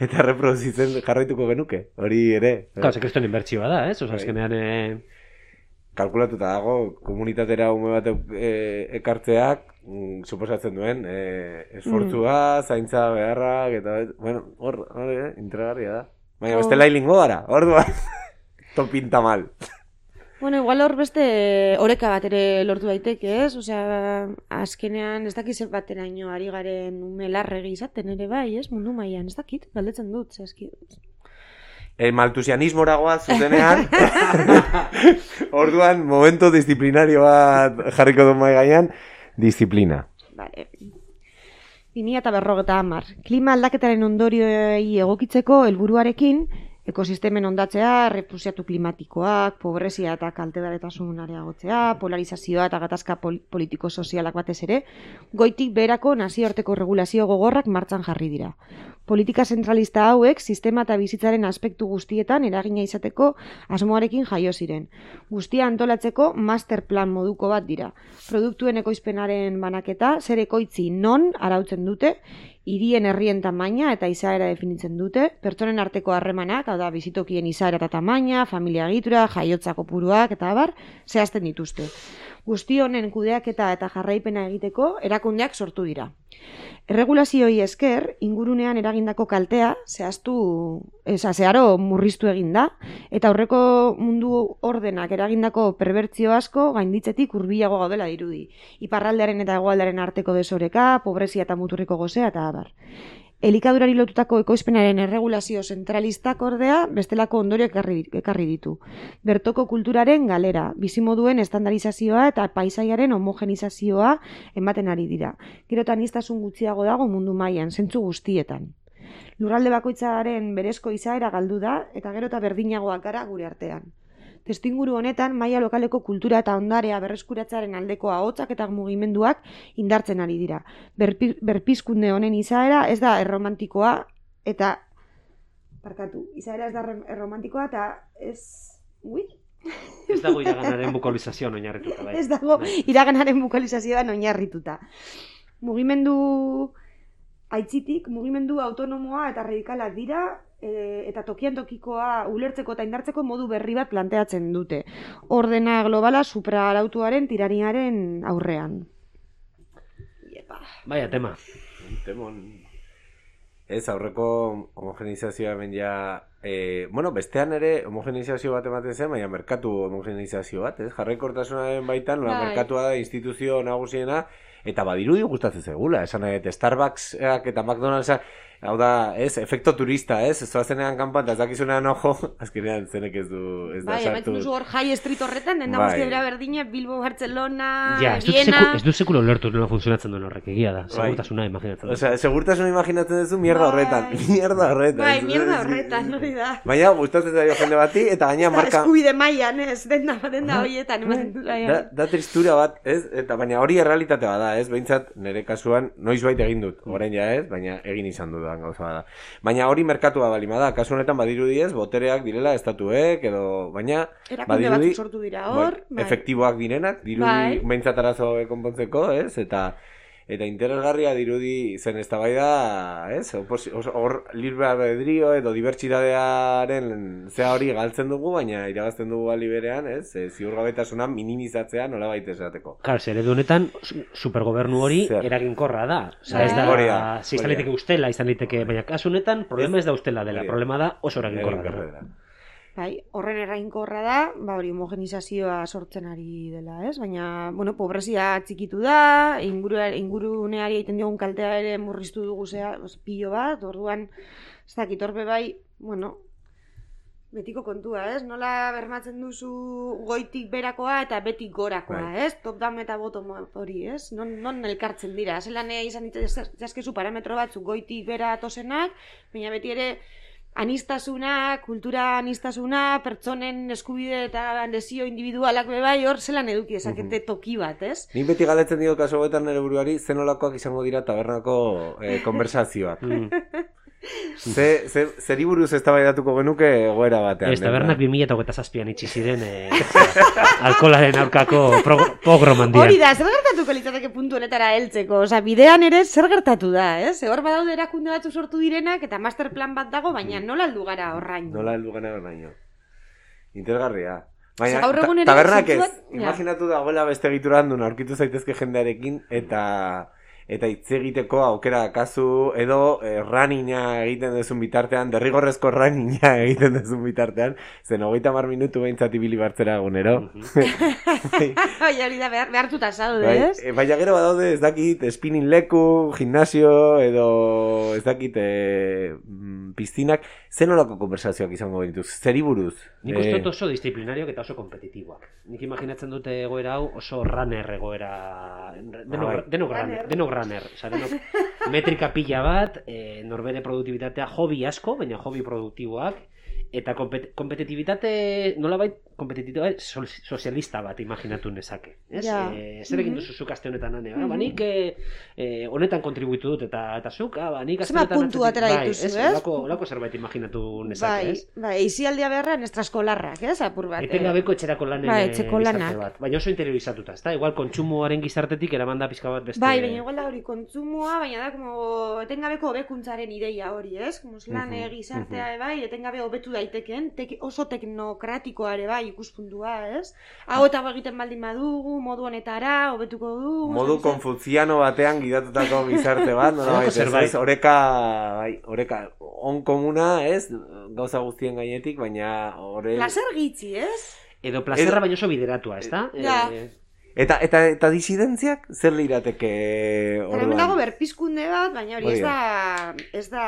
eta reproduzitzen jarraituko genuke, hori ere. Claro, sekrestoen inbertsioa da, ez? Azkenean... Kalkulatuta dago, komunitatera ume bat ekartzeak, suposatzen duen, esfortzua, zaintza beharrak, eta, hor, intragarria da. Baina, beste lailingo gara, orduan, topinta mal. Igual hor beste oreka bat ere lortu daiteke, ez? Osea, azkenean ez dakit zer bateraino ari garen ume larregi izaten ere bai, ez? Mundu mailan, ez dakit, galdetzen dut, zehazkit. Maltusianismora goaz zuzenean, orduan, momento disiplinario bat jarriko du mai gainean, disiplina. Vale. 2050. Klima aldaketaren ondorioei egokitzeko helburuarekin, ekosistemen ondatzea, refusiatu klimatikoak, pobrezia eta kaltegarritasun areagotzea, polarizazioa eta gatazka politiko-sozialak batez ere, goitik beherako nazioarteko regulazio gogorrak martxan jarri dira. Politika zentralista hauek sistema eta bizitzaren aspektu guztietan eragina izateko asmoarekin jaio ziren. Guztia antolatzeko master plan moduko bat dira. Produktuen ekoizpenaren banaketa zer ekoitzi non arautzen dute, hirien herrien tamaina eta izaera definitzen dute, pertsonen arteko harremanak, hau da bizitokien izaera eta tamaina, familia egitura, jaiotza kopuruak eta abar, zehazten dituzte. Guzti honen kudeaketa eta jarraipena egiteko erakundeak sortu dira. Erregulazioi esker, ingurunean eragindako kaltea zeharo murriztu egin da, eta aurreko mundu ordenak eragindako perbertzio asko gainditzetik hurbilago gaudela dirudi. Iparraldearen eta hegoaldearen arteko desoreka, pobrezia eta muturriko gozea eta abar. Elikadurari lotutako ekoizpenaren erregulazio zentralistak ordea bestelako ondorioak ekarri ditu. Bertoko kulturaren galera, bizimoduen estandarizazioa eta paisaiaren homogenizazioa ematen ari dira. Gero eta aniztasun gutxiago dago mundu mailan, zentzu guztietan. Lurralde bakoitzaren berezko izaera galdu da eta gero eta berdinagoak gara gure artean. Testuinguru honetan, maila lokaleko kultura eta ondarea berreskuratzearen aldeko ahotsak eta mugimenduak indartzen ari dira. Berpizkunde honen izaera ez da erromantikoa eta... Izaera ez da erromantikoa eta ez... Ez dago iraganaren bukalizazioan oinarrituta, bai. Ez dago iraganaren bukalizazioan oinarrituta. Mugimendu aitzitik, mugimendu autonomoa eta radikalak dira, eta tokian tokikoa ulertzeko eta indartzeko modu berri bat planteatzen dute. Ordena globala supraarautuaren tiraniaren aurrean. Baia, tema. Ez, aurreko homogenizazioa hemen ja... bestean ere homogenizazio bat ematen zen, baina merkatu homogenizazio bat, ez? Jarraikortasunaren baitan, merkatua da instituzio nagusiena, eta badirudi gustatzen zegula, esan Starbucksak eta McDonald'sak, hau da, efekto turista, ez zoazenean kanpan, eta ez dakizunean ojo, azkenean zenek ez du, ez da sartu. Bai, duzu hor High Street horretan, denda guztia bera berdina, Bilbo, Barcelona, Viena... Ez du sekula ulertu nola funtzionatzen duen horrek, egia da, segurtasuna imaginatzen. Osea, segurtasuna imaginatzen duzu mierda horretan, mierda horretan. Bai, mierda horretan, hori da. Baina, gustatzen zaio jende bati, eta gaina marka... Eskubide mailan, ez, denda horietan, ematen du. Da tristura bat, ez, eta baina hori errealitate bada, ez, behintzat, nire kasuan, noizbait egin dut, orain ja ez, baina egin izan dudan gauza bada. Baina hori merkatua balima da, kasu honetan badirudi ez, botereak direla estatuek, edo, baina... Erakunde batzuk sortu dira hor. Efektiboak direnak, dirudi behintzat arazo konpontzeko, ez, eta interesgarria dirudi zen eztabaida, ez, hor libre albedrio edo dibertsitatearen zea hori galtzen dugu, baina irabazten dugu bali berean, ez, ziurgabetasuna minimizatzea nolabait esateko. Klar, zer edo honetan, supergobernu hori eraginkorra da. Osa, ez da, izan liteke ustela, izan liteke, baina kasu honetan, problema ez da ustela dela, problema da oso eraginkorra dela. Bai, horren eraginkorra da, hori homogenizazioa sortzen ari dela, ez? Baina, pobrezia txikitu da, inguruneari egiten diogun kaltea ere murriztu dugu pilo bat, orduan, ez dakit, horbe bai, betiko kontua, ez? Nola bermatzen duzu goitik berakoa eta betik gorakoa, ez? Top down eta bottom up hori, ez? Non elkartzen dira. Zelan izan ditzazkezu parametro batzuk goitik bera atosenak, baina beti ere anistasuna, kultura anistasuna, pertsonen eskubide eta desio individualak bai, hor zelan eduki ezakete toki bat, ez? Nik beti galetzen dio kaso betan nire buruari, zenolakoak izango dira tabernako konversazioak. Zeri buruz eztabaidatuko genuke egoera batean. Ez, tabernak 2027an itxi ziren alkolaren aurkako pogroman dira. Hori da, zer gertatuko litzateke puntu honetara heltzeko? Osa, bidean ere zer gertatu da, ez? Hor badaude erakunde batzu sortu direnak eta master plan bat dago, baina nola heldu gara horraino? Nola heldu gara horraino. Interesgarria. Baina, gaur tabernak ez, imaginatu dagoela beste egitura handun aurkitu zaitezke jendearekin eta hitz egiteko aukera kasu edo runninga egiten duzun bitartean, derrigorrezko runninga egiten duzun bitartean, zen 30 minutu behintzat ibili bartzera egunero. Bai, hori da, behartuta zaude, ez? Baina gero badaude ez dakit spinning leku, gimnasio edo ez dakit piztinak, zen olako konversazioak izango dituz, zeri buruz? Nik uste dut oso disciplinarioak eta oso kompetitiboak. Nik imaginatzen dute egoera hau oso runner egoera, denok runner, oza, denok metrika pila bat, norbere produktibitatea hobi asko, baina hobi produktiboak, eta kompetitibitate, nolabait, kompetitibitate sozialista bat imaginatu nezake. Zer egin duzu zuk aste honetan ane? Nik honetan kontribuitu dut eta zuk, nik aste honetan... Zema puntu atera dituzu, ez? Olako zerbait imaginatu nezake, ez? Bai, izialdia beharra estraskolarrak, ez? Apur bat. Etengabeko etxerako lanen gizarte bat. Baina oso interiorizatuta, ez da? Igual kontsumoaren gizartetik eramanda pizka bat beste... Bai, baina igual da hori kontsumoa, baina da como etengabeko hobekuntzaren ideia hori, ez? Como lan gizartea, bai, etengabe hobetu daiteken, oso teknokratikoa ere bai ikuspuntua, ez? Hau eta egiten baldin badugu, modu honetara, hobetuko dugu... Modu konfuziano batean gidatutako gizarte bat, ez? Oreka, on komuna, ez? Gauza guztien gainetik, baina... Plazer gitzi, ez? Edo plazerra baino oso bideratua, ez da? Ja. Eta disidentziak zer lirateke orduan? Hemen dago berpizkunde bat, baina hori ez da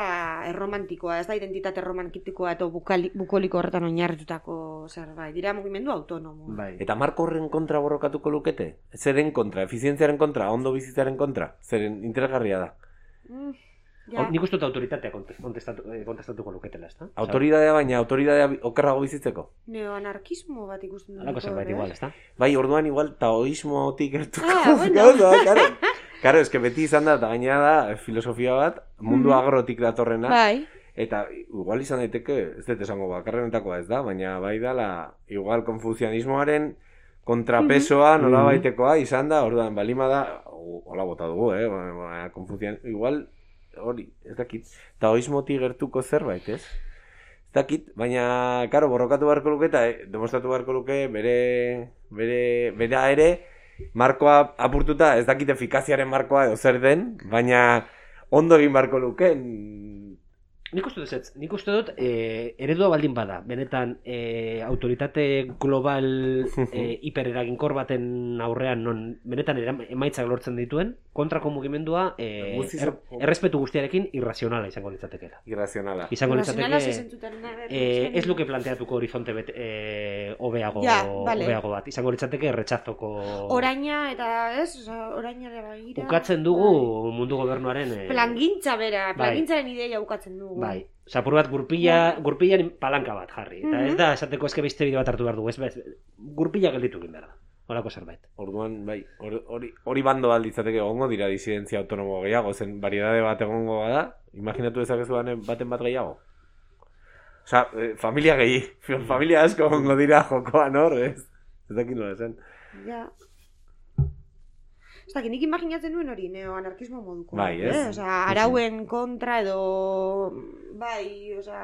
erromantikoa, ez da identitate romantikoa eta bukoliko horretan oinarritutako zerbait, dira mugimendu autonomo. Bai. Eta marko horren kontra borrokatuko lukete? Zeren kontra, efizientziaren kontra, ondo bizitzaren kontra? Zeren interesgarria da? Nik uste dut autoritatea kontestatuko luketela, ez da? Autoridadea, baina autoridadea okerrago bizitzeko? Neoanarkismo bat ikusten dut. Alako zerbait igual, ez da? Bai, orduan igual taoismotik gertuko. Karo, eske beti izan da, eta gainera da filosofia bat, mundu agrotik datorrena. Bai. Eta igual izan daiteke, ez dut esango bakarrenetakoa ez da, baina bai dala, igual konfuzianismoaren kontrapesoa nola baitekoa izan da, orduan balima da, hola bota dugu, igual... Hori, ez dakit, taoismotik gertuko zerbait, ez? Ez dakit, baina, karo, borrokatu beharko luke eta demostratu beharko luke bera ere markoa apurtuta, ez dakit efikaziaren markoa edo zer den, baina ondo egin beharko luke. Nik uste dut eredua baldin bada, benetan autoritate global hipereraginkor baten aurrean non benetan emaitzak lortzen dituen, kontrako mugimendua errespetu guztiarekin irrazionala izango litzatekela. Irrazionala. Izango litzateke ez luke planteatuko horizonte hobeago bat, izango litzateke erretxazoko... Oraina eta ez, orainare bagira... Ukatzen dugu mundu gobernuaren... Plangintza bera, plangintzaren ideia ukatzen dugu. Bai, zapur bat gurpilan palanka bat jarri. Eta ez da, esateko eske beste bide bat hartu behar dugu, ez gurpila gelditu egin behar da. Horako zerbait. Orduan, bai, hori bando alditzateke egongo dira disidentzia autonomo gehiago, zen variedade bat egongo bada, imaginatu dezakezu baten bat gehiago. Osa, familia familia asko egongo dira jokoan hor, ez? Ez dakit nola esan. Ja. Ez dakit, nik imaginatzen nuen hori neoanarkismo moduko. Bai, ez? Osa, arauen kontra edo, bai, osa,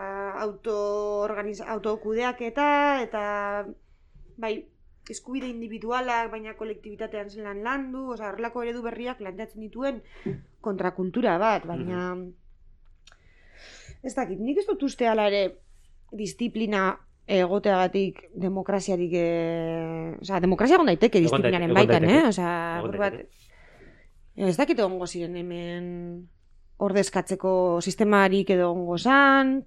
autokudeaketa eta, bai, eskubide individualak, baina kolektibitatean zelan landu, osa, horrelako eredu berriak planteatzen dituen kontrakultura bat, baina... Ez dakit, nik ez dut uste ala ere disiplina egoteagatik demokraziarik... Osa, demokrazia egon daiteke disiplinaren baitan, Osa, ez dakit egongo ziren hemen ordezkatzeko sistemarik edo egongo zan...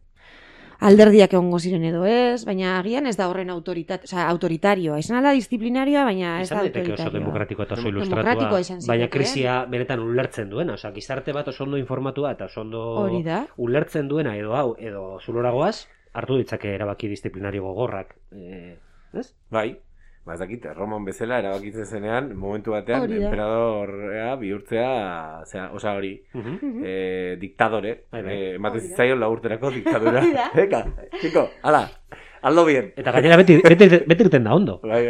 alderdiak egongo ziren edo ez, baina agian ez da horren autoritarioa. Izan alda disiplinarioa, baina ez da autoritarioa. Oso demokratikoa eta oso Demokratikoa ilustratua, izan baina zitekeen. krisia benetan ulertzen duena. Osa, gizarte bat oso ondo informatua eta oso ondo Hori da. ulertzen duena edo zuloragoaz, hartu ditzake erabaki disiplinario gogorrak. Ez? Bai, ez dakit, Roman bezala erabakitzen zenean, momentu batean, Hori da. emperadorrea bihurtzea, osa hori, diktadore, ematen Hori da. zitzaion laurterako diktadura. Hori da. Eka, txiko, ala, aldo bien. Eta gainera beti irten da ondo. Bai.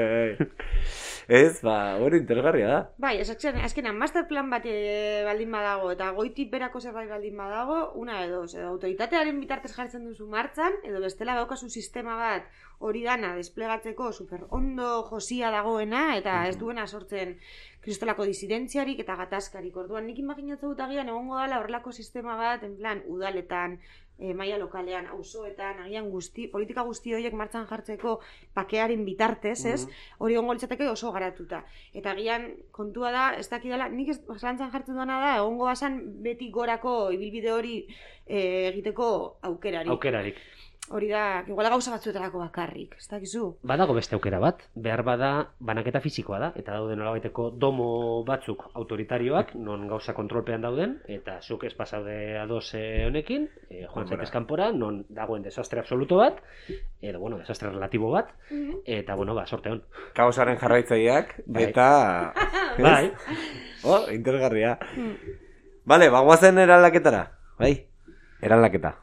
Ez, hori interesgarria da. Bai, azkenan masterplan bat baldin badago, eta goitik berako zerbait baldin badago, una edo autoritatearen bitartez jartzen duzu martzan, edo bestela daukazu sistema bat hori dana desplegatzeko super ondo josia dagoena, eta ez duena sortzen kristolako disidentziarik eta gatazkarik. Orduan, nik imaginatzen dut agian egongo dela horrelako sistema bat, en plan, udaletan, maila lokalean, auzoetan, agian politika guzti horiek martxan jartzeko pakearen bitartez, ez? Hori egongo litzateke oso garatuta. Eta agian kontua da, ez dakidala, nik zalantzan jartzen duena da, egongo basan beti gorako ibilbide hori egiteko aukerarik. Hori da, igual gauza batzuetarako bakarrik, ez dakizu? Badago beste aukera bat, behar bada banaketa fisikoa da, eta daude nolabaiteko domo batzuk autoritarioak, non gauza kontrolpean dauden, eta zuk ez pasaude ados honekin, joan zaitez kanpora, non dagoen desastre absoluto bat, edo, desastre relatibo bat, eta, sorte hon. Kaosaren jarraitzaileak, eta... Bai. Interesgarria. Bale, bagoazen eraldaketara, bai? Eraldaketa.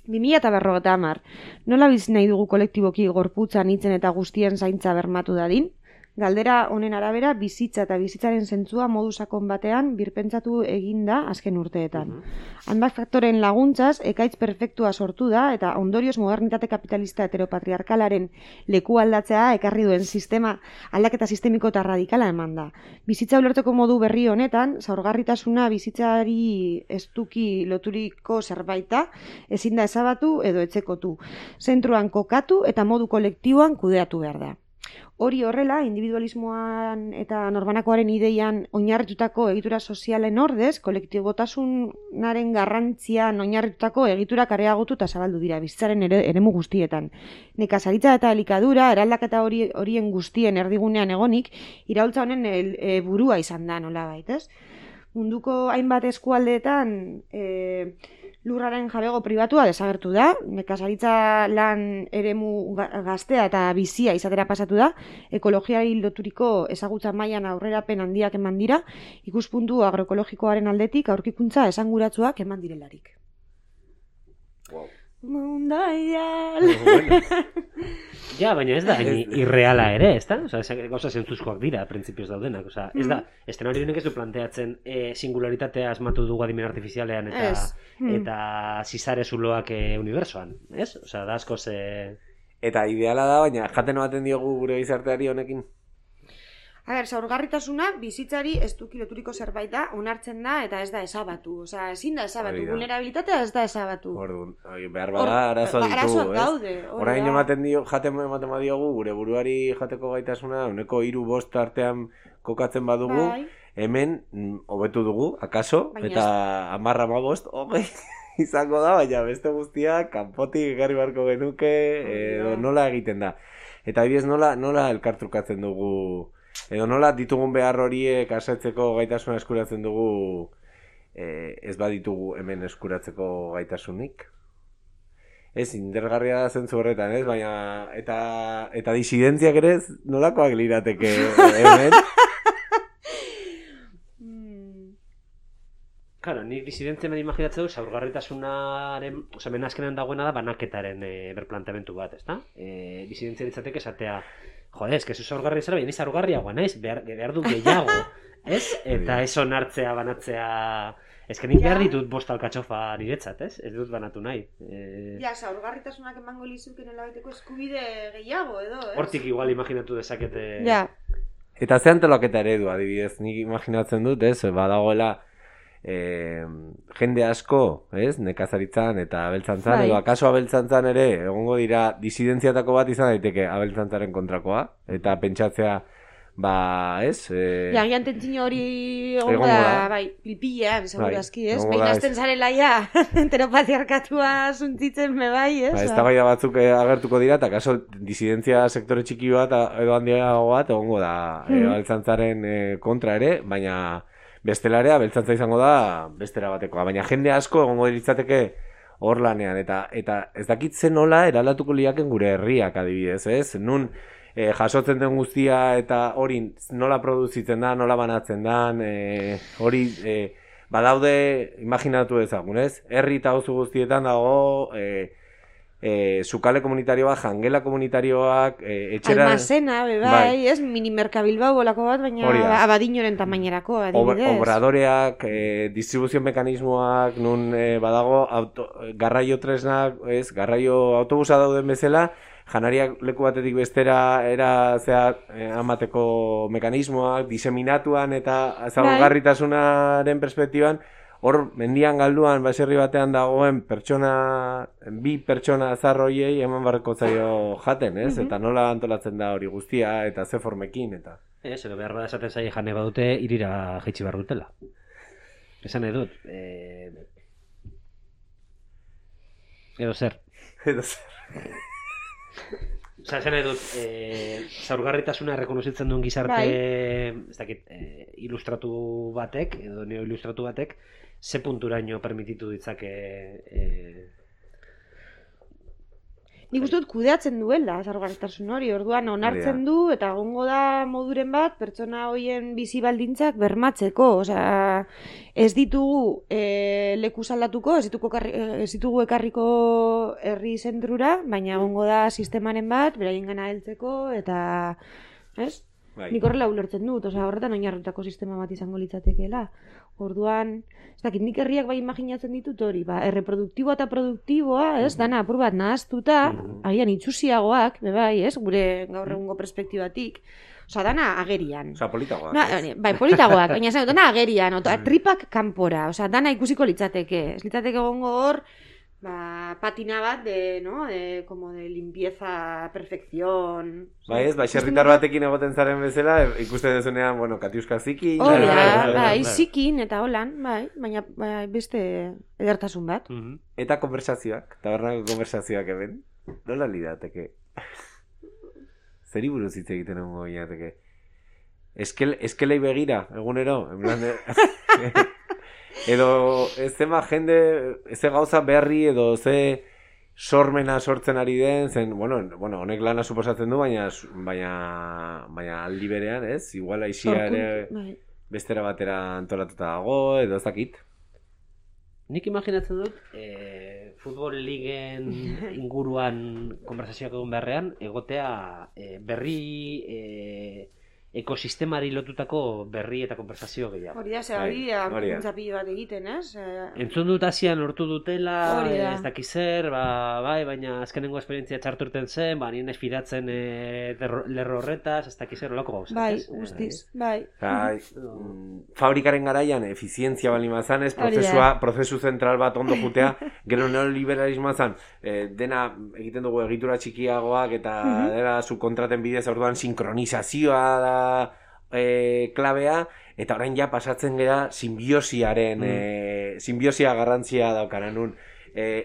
2050. Nola bizi nahi dugu kolektiboki gorputzan hitzen eta guztien zaintza bermatu dadin? Galdera honen arabera bizitza eta bizitzaren zentzua modu sakon batean birpentsatu egin da azken urteetan. Hainbat faktoren laguntzaz ekaitz perfektua sortu da eta ondorioz modernitate kapitalista heteropatriarkalaren leku aldatzea ekarri duen aldaketa sistemiko eta radikala eman da. Bizitza ulertzeko modu berri honetan, zaurgarritasuna bizitzari estuki loturiko zerbaita ezin da ezabatu edo etxekotu. Zentruan kokatu eta modu kolektiboan kudeatu behar da. Hori horrela, individualismoan eta norbanakoaren ideian oinarritutako egitura sozialen ordez, kolektibotasunaren garrantzian oinarritutako egiturak areagotu eta zabaldu dira bizitzaren eremu guztietan. Nekazaritza eta elikadura, eraldaketa horien guztien erdigunean egonik, iraultza honen burua izan da nolabait, ez? Munduko hainbat eskualdeetan lurraren jabego pribatua desagertu da, nekazaritza lan eremu gaztea eta bizia izatera pasatu da, ekologiari loturiko ezagutza mailan aurrerapen handiak eman dira, ikuspuntu agroekologikoaren aldetik aurkikuntza esanguratsuak eman direlarik. Wow. Mundaial! Ja, baina ez da irreala ere, ez da? Gauza zentzuzkoak dira, printzipioz daudenak. Ez da, eszenario honek ez du planteatzen singularitatea asmatu dugu adimen artifizialean eta zizare zuloak unibersoan, ez? Da askoz... Eta ideala da, baina jaten baten diogu gure gizarteari honekin? Zaurgarritasuna bizitzari estuki loturiko zerbait da, onartzen da eta ez da ezabatu. Ezin da ezabatu, vulnerabilitatea ez da ezabatu. Orduan, behar bada arazoa ditugu, arazoak daude. Orain jaten diogu gure buruari jateko gaitasuna, uneko 3-5 artean kokatzen badugu, hemen hobetu dugu, akaso, eta 10-15, izango da, baina beste guztia kanpotik ekarri barko genuke, edo nola egiten da. Eta adibidez nola elkartrukatzen dugu, edo nola ditugun behar horiek asetzeko gaitasuna eskuratzen dugu, ez baditugu hemen eskuratzeko gaitasunik. Ez, indergarria da zentzu horretan, ez? Baina, eta disidentziak ere nolakoak lirateke hemen? Claro, nik disidentzia nahi imaginatzen du, zaurgarritasunaren, hemen azkenean dagoena da banaketaren berplanteamentu bat, ezta? Disidentzia ditzateke esatea, jode, ez zaurgarri zara, baina zaurgarriagoa naiz, behar du gehiago, ez? Eta ez onartzea, banatzea... Ez que nik behar ditut bost alkatxofa niretzat, ez? Ez dut banatu nahi. Zaurgarritasunak emango lizuken elabeteko eskubide gehiago, edo, ez? Hortik igual imaginatu dezakete... Eta ze antolaketa eredu, adibidez, nik imaginatzen dut, ez? Badagoela... jende asko, ez? Nekazaritzan eta abeltzantzan, edo akaso abeltzantzan ere egongo dira disidentziatako bat izan daiteke abeltzantzaren kontrakoa, eta pentsatzea ez? Agian tentzino hori egongo Egongo da, da. bai, pilpilean, segurazki, ez? egongo Behin da, azten zarela ja, enteropatriarkatua suntzitzen me bai, ez? Eztabaida batzuk agertuko dira, eta kaso disidentzia sektore txiki bat edo handiago bat egongo da abeltzantzaren kontra ere, baina bestelarea abeltzantza izango da bestera batekoa. Baina jende asko egongo diritzateke hor lanean, eta ez dakit zen nola eraldatuko liaken gure herriak adibidez, ez? Nun jasotzen den guztia eta hori nola produzitzen da, nola banatzen dan, hori badaude, imaginatu ezagun, ez? Herri eta auzo guztietan dago sukale komunitarioak, jangela komunitarioak, etxera... Almazena, bai, ez? Minimerka Bilbao bolako bat, baina abadinoren tamainerako, adibidez. Obradoreak, distribuzio mekanismoak, nun badago garraio tresnak, ez? Garraio autobusa dauden bezala, janariak leku batetik bestera amateko mekanismoak, diseminatuan eta zabalgarritasunaren perspektiban, hor mendian galduan baserri batean dagoen bi pertsona zarroiei eman barreko zaio jaten, ez? Eta nola antolatzen da hori guztia eta ze formekin eta... Edo behar bada esaten zaie jane badute irira jaitsi behar dutela. Esan edut. Edo zer. Osa, esan edut, zaurgarritasuna rekonozitzen duen gizarte, ez dakit, ilustratu batek, edo neo-ilustratu batek, ze punturaino permititu ditzake... Nik uste dut kudeatzen duela, zaurgarritasun hori, orduan onartzen du, eta egongo da moduren bat, pertsona horien bizi baldintzak bermatzeko, osea, ez ditugu leku saldatuko, ez ditugu ekarriko herri zentrura, baina egongo da sistemaren bat, beraien gana heltzeko, eta, ez? Nik horrela ulertzen dut, osea, horretan oinarritutako sistema bat izango litzatekeela. Orduan, ez dakit, nik herriak bai imaginatzen ditut hori, erreproduktiboa eta produktiboa, ez, dana apur bat nahaztuta, agian itxusiagoak, bai, ez, gure gaur egungo perspektibatik, osea, dana agerian. Osea, politagoak. Bai, politagoak, baina zen, dana agerian, tripak kanpora, osea, dana ikusiko litzateke, ez litzateke egongo hor, patina bat como de limpieza, perfección. Bai ez, baserritar batekin egoten zaren bezala, ikusten dezunean, katiuska zikin. Hori da, zikin eta holan, baina beste edertasun bat. Eta konversazioak, tabernako konversazioak hemen, nola lidateke? Zeri buruz hitz egiten egongo ginateke? Eskelei begira, egunero, en plan edo ez zema jende, ze gauza berri edo ze sormena sortzen ari den, zen, honek lana suposatzen du, baina aldi berean, ez? Igual aisia ere bestera batera antolatuta dago, edo ez dakit. Nik imaginatzen dut, futbol ligen inguruan konversazioak egon beharrean, egotea berri ekosistemari lotutako berri eta konversazio gehiago. Hori da, hori da, pilo bat egiten, ez? Entzun dut asian lortu dutela, ez dakiz zer, baina azkenengo esperientzia txartu urten zen, nien esfidatzen lerro horretaz, ez dakiz zer, olako gauzak. Bai, guztiz, bai. Fabrikaren garaian, efizientzia bali mazan, ez, prozesu zentral bat ondo jutea, gero neoliberalismoa zan, dena egiten dugu egitura txikiagoak, eta dena subkontraten bidez orduan sinkronizazioa da klabea, eta orain ja pasatzen gara simbiosiaren simbiosia garrantzia daukara nun,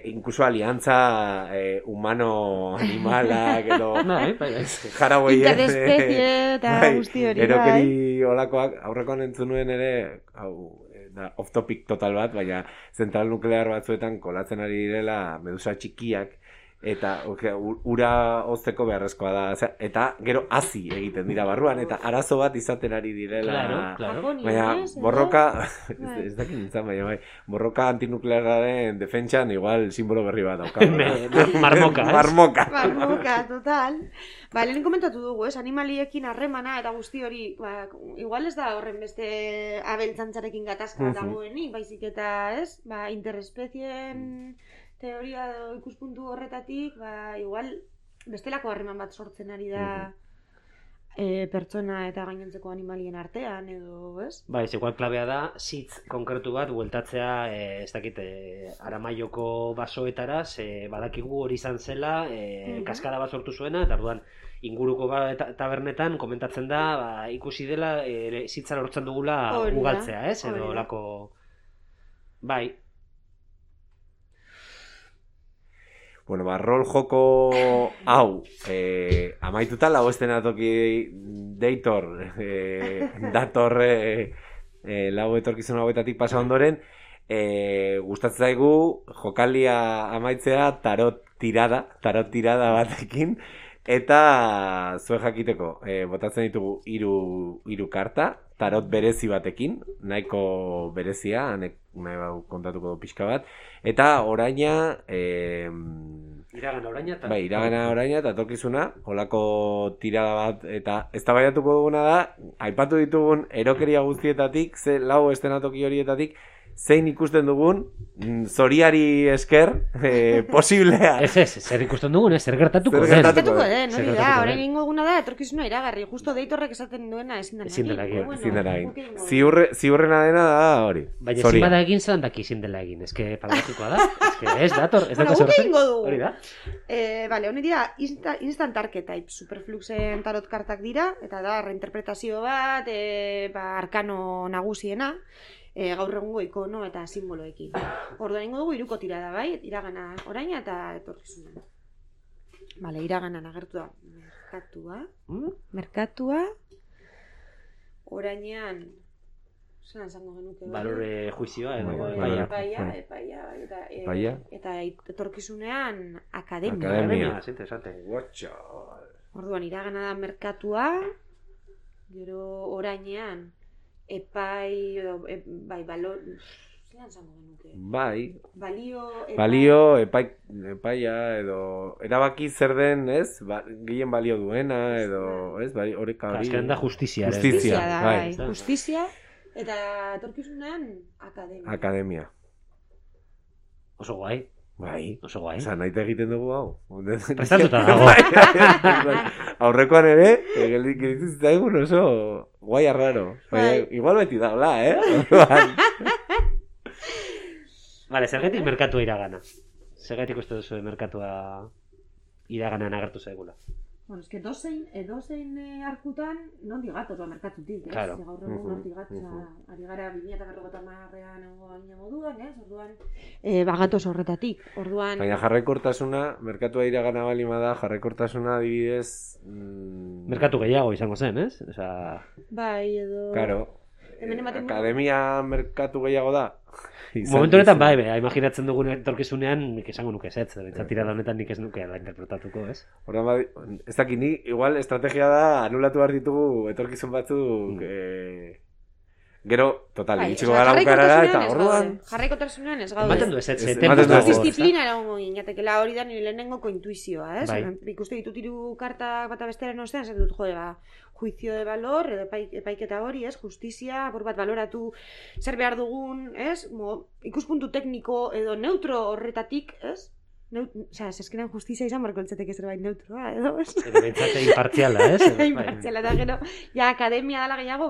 incluso aliantza humano-animalak edo jaraboien interespezie eta guzti hori erokeri olakoak, aurrekoan entzun nuen ere off topic total bat, baina zentral nuklear batzuetan kolatzen ari direla medusa txikiak, eta ura hozteko beharrezkoa da, eta gero hazi egiten dira barruan, eta arazo bat izaten ari direla. Baina borroka, ez dakit nintzen, baina borroka antinuklearraren defentsan igual simbolo berri bat dauka. Marmoka, ez? Marmoka, total. Lehen komentatu dugu, animaliekin harremana eta guzti hori, igual ez da horren beste abeltzantzarekin gatazka dagoenik, baizik eta, ez? Interespezien teoria ikuspuntu horretatik, igual bestelako harreman bat sortzen ari da pertsona eta gainontzeko animalien artean, edo, ez? Igual klabea da, sitz konkretu bat, bueltatzea, ez dakit, Aramaioko basoetara, badakigu hori izan zela, kaskada bat sortu zuena, eta orduan, inguruko tabernetan komentatzen da, ikusi dela zitza lortzen dugula Hori da, ugaltzea, ez? hori Edo da. lako... Bai. Bueno, rol joko hau amaituta lau estenatoki deitor dator lau etorkizun hauetatik pasa ondoren gustatzen zaigu jokalia amaitzea tarot tirada batekin eta zuen jakiteko botatzen ditugu hiru karta tarot berezi batekin, nahiko berezia, nahi bau kontatuko du pixka bat, eta oraina Iragana oraina eta... Bai, iragana oraina eta etorkizuna, holako tirada bat, eta eztabaidatuko duguna da, aipatu ditugun erokeria guztietatik, lau estenatoki horietatik, zein ikusten dugun, zoriari esker, posiblea. Ez, zer ikusten dugun, zer gertatuko Zer den. gertatuko den, hori da, orain ingo guna da, etorkizuna iragarri, justo deitorrek esaten duena ezin dela egin. Ezin dela egin. Ziurrena dena da hori. Baina ezin bada egin zelan daki ezin dela egin, eske paradoxikoa da, eske ez dator, ez dator Bueno, guk egingo dugu. Hori da. Bale, honi dira, instant archetype, superfluxen tarot kartak dira, eta da, reinterpretazio bat, arkano nagusiena, gaur egungo ikono eta simboloekin. Orduan ingo dugu hiruko tirada, bai? Iragana oraina eta etorkizuna. Bale, iraganan agertu da merkatua, orainean, zelan zango genuke? Balore juizioa edo epaia, eta etorkizunean akademia. Interesante. Orduan, iragana da merkatua, gero orainean, epai, bai, balor, zelan zango genuke? Bai, Balio, epaia, edo, erabaki zer den, ez? Gehien balio duena, edo, ez? Bai, horreka hori. Azken da justizia. Justizia da, bai. Justizia, eta etorkizunean akademia. Oso guai. Bai, oso guai. Osa, nahi egiten dugu hau. Prestatuta dago. Aurrekoan ere, gelditzen zitzaigun oso guai arraro. Igual beti daula, Vale, zergatik merkatua iragana? Zergatik uste duzu merkatua iraganan agertu zaigula? Bueno, eske edozein arkutan nondik gatoz merkatutik, ez? Claro. Gaur egun nondik gatoz, ari gara 2050ean egongo baina moduan, ez? Orduan, bagatoz horretatik. Orduan... Baina jarraikortasuna, merkatua iragana balima da, jarraikortasuna adibidez... Merkatu gehiago izango zen, ez? Bai, edo... Claro. Akademia merkatu gehiago da. Momentu honetan bai, imaginatzen dugun etorkizunean nik esango nuke ez, tirada honetan nik ez nuke la interpretatuko, ez? Horren ez dakit ni, igual estrategia da anulatu behar ditugu etorkizun batzuk gero, total, itxiko gara bukarara eta orduan... Jarraikotasunean ez gaude. Ematen du ez, disiplina eragongo ginatekela hori da nire lehenengoko intuizioa, ez? Ikuste ditut hiru karta bata bestearen ostean, zer dut juizio de valor, edo epaiketa hori, ez? Justizia, apur bat baloratu zer behar dugun, ez? Ikuspuntu tekniko edo neutro horretatik, ez? Osea, eskenean justizia izan barko eltzeteke zerbait neutroa, edo, ez? Edo bentsate impartziala, ez? Impartziala, eta gero, ja, akademia dela gehiago,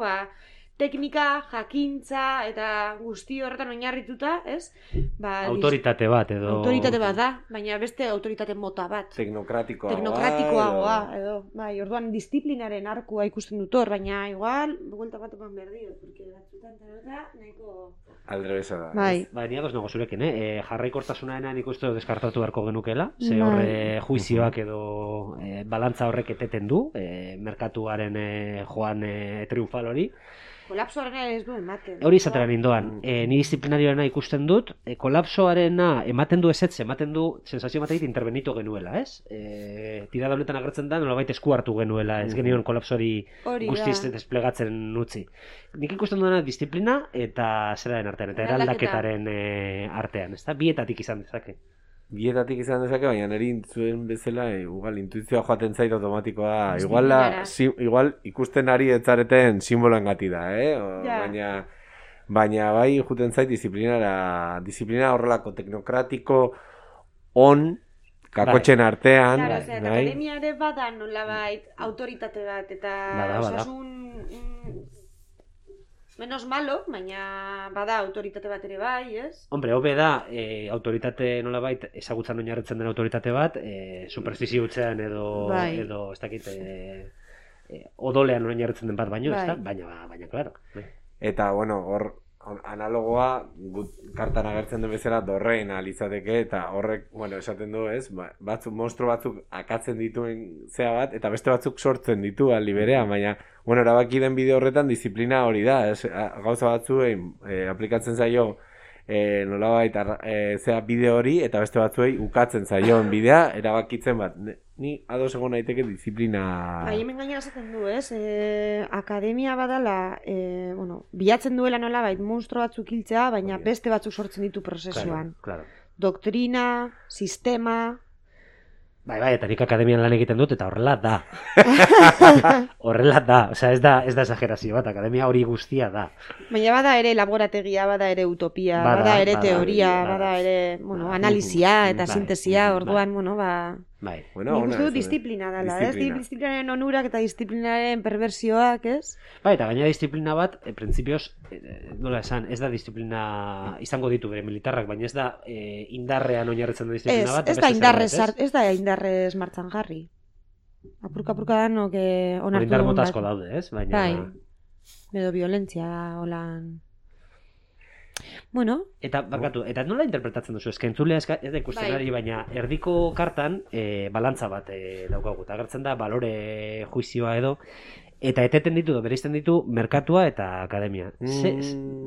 teknika, jakintza eta guzti horretan oinarrituta, ez? Autoritate bat edo... Autoritate bat da, baina beste autoritate mota bat. Teknokratikoagoa edo. Bai, orduan disiplinaren arkua ikusten dut hor, baina igual, buelta bat eman behar dio, porque batzutan tarota nahiko... Aldrebesa da. Bai. Bai, nago zurekin, jarraikortasunaena nik uste deskartatu beharko genukela, ze horre juizioak edo balantza horrek eteten du, merkatuaren joan triunfal hori. Kolapsoarena ez du ematen. Hori izateran indoan. Ni disiplinarioarena ikusten dut, kolapsoarena ematen du ezetz, ematen du sensazio ematen intervenitu genuela, ez? Tirada honetan agertzen da, nolabait esku hartu genuela, ez genion kolapsori guztiz desplegatzen utzi. Nik ikusten duena disiplina eta zeraren artean, eta eraldaketaren artean, ez da? Bietatik izan dezake. Bietatik izan dezake, baina niri intzuen bezala, igual, intuizioa joaten zait automatikoa, igual ikusten ari etzareten simboloen gati da, baina bai juten zait disiplina horrelako teknokratiko on, kakotxen artean. Claro, akademia ere bada nolabait autoritate bat, eta osasun... Menos malo, baina bada autoritate bat ere bai, ez? Hombre, hobe da, autoritate nolabait, ezagutzan oinarritzen den autoritate bat, superfizio hutsean edo, Bai. edo ez dakit, odolean oinarritzen den bat baino, Bai. ez da? Baina, claro. Eta, bueno, hor analogoa kartan agertzen den bezala dorreena litzateke, eta horrek, bueno, esaten du, ez? Monstro batzuk akatzen dituen zea bat, eta beste batzuk sortzen ditu aldi berean, baina, bueno, erabaki den bideo horretan disiplina hori da, ez? Gauza batzuei aplikatzen zaio nolabait zea bideo hori, eta beste batzuei ukatzen zaion bidea, erabakitzen bat. Ni ados egon naiteke disiplina... Bai, hemen gainera esaten du, ez? Akademia badala, bueno, bilatzen duela nolabait monstro batzuk hiltzea, baina beste batzuk sortzen ditu prozesuan. Claro. Doktrina, sistema... Bai, eta nik akademian lan egiten dut, eta horrela da. Horrela da, osea, ez da exagerazio bat, akademia hori guztia da. Baina bada ere laborategia, bada ere utopia, bada ere teoria, bada ere, bueno, analizia eta sintesia, orduan, bueno, Bai. Bueno, nik uste dut disiplina dela, ez? Disiplinaren onurak eta disiplinaren perversioak, ez? Bai, eta gaina disiplina bat, printzipioz, nola esan, ez da disiplina izango ditu bere militarrak, baina ez da indarrean oinarritzen da disiplina bat. Ez da indarrez martxan jarri. Apurka danok onartu indar mota asko daude, ez? Baina... Bai, edo violentzia, holan... Bueno. Eta, barkatu, eta nola interpretatzen duzu? Eske entzulea ez da ikusten ari, baina erdiko kartan balantza bat daukagu. Eta agertzen da, balore juizioa edo, eta eteten ditu, bereizten ditu, merkatua eta akademia.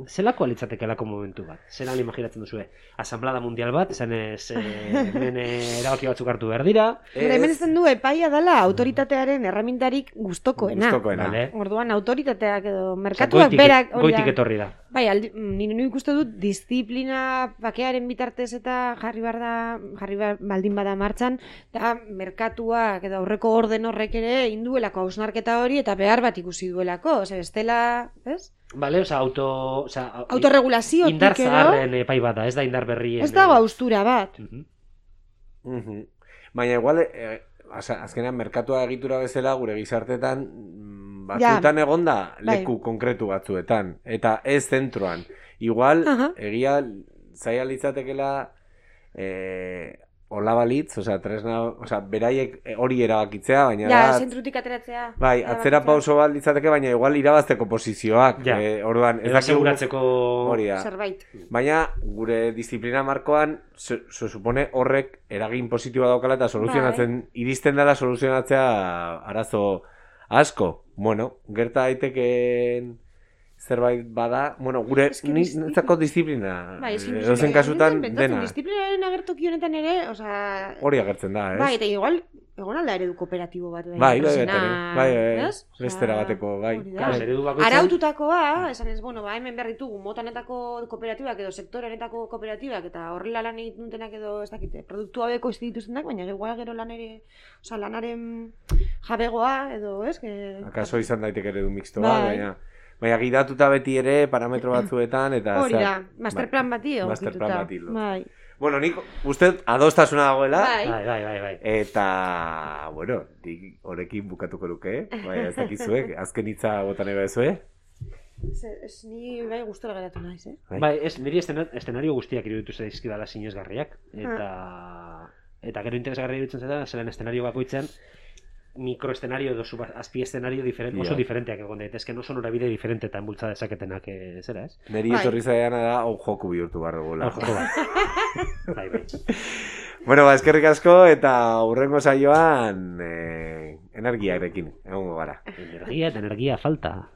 Zelako alitzatekelako momentu bat? Zelan imaginatzen duzue? Asamblada mundial bat, esan ez hemen erabaki batzuk hartu behar dira. Hemen ezen du, epaia dela autoritatearen erramintarik gustokoena. Vale. Orduan, autoritateak edo merkatuak berak... Goitik etorri da. Bai, nire ikuste dut disiplina bakearen bitartez eta jarri baldin bada martxan, eta merkatuak edo aurreko orden horrek ere induelako hausnarketa hori eta behar bat ikusi duelako, bestela, ez? Vale, autorregulazio indar zaharren epai bat da, ez da indar berrien. Ez dago haustura bat. Baina igual, azkenean merkatua egitura bezala gure gizartetan batzuetan egonda leku konkretu batzuetan, eta ez zentroan. Igual, egia zaila litzatekela hola balitz, tresna, beraiek hori erabakitzea, baina... Ja, zentrutik ateratzea. Bai, atzera pauso bat litzateke, baina igual irabazteko posizioak. Orduan, ez aseguratzeko zerbait. Baina, gure disiplina markoan, se supone horrek eragin positiboa daukala eta soluzionatzen, iristen dela soluzionatzea arazo asko. Bueno, gerta daiteken zerbait bada, bueno, gure nintzako disiplina, edozen kasutan dena. Disiplinaren agertoki honetan ere, hori agertzen da, ez? Bai, eta igual, egon alda eredu kooperatibo bat. Bai, bestera bateko, bai. Araututakoa, esan ez, bueno, hemen behar ditugu motanetako kooperatibak edo sektorenetako kooperatibak eta horrela lan egiten dutenak edo, ez dakite, produktu haueko ez dituztenak, baina gero lanaren jabegoa edo, ez? Akaso izan daiteke eredu mixtoa, baina gidatuta beti ere parametro batzuetan eta... Hori da, masterplan bati egokituta. Bai. Bueno, nik uste adostasuna dagoela. Bai. Eta, bueno, horrekin bukatuko luke, bai, ez dakizuek, azken hitza botan ega ezue. Ez ni bai gustora geratu naiz, Bai, niri eszenario guztiak iruditu zaizkidala sinesgarriak. Eta gero interesgarria iruditzen zeta, zelan eszenario bakoitzen, mikroeszenario edo azpieszenario oso diferenteak egon daitezke, oso norabide diferente eta enbultza dezaketenak zera, ez? Neri etorri zaiana da, hau joku bihurtu barregola. Bai. Bueno, eskerrik asko eta hurrengo saioan energiarekin egongo gara. Energia eta energia falta.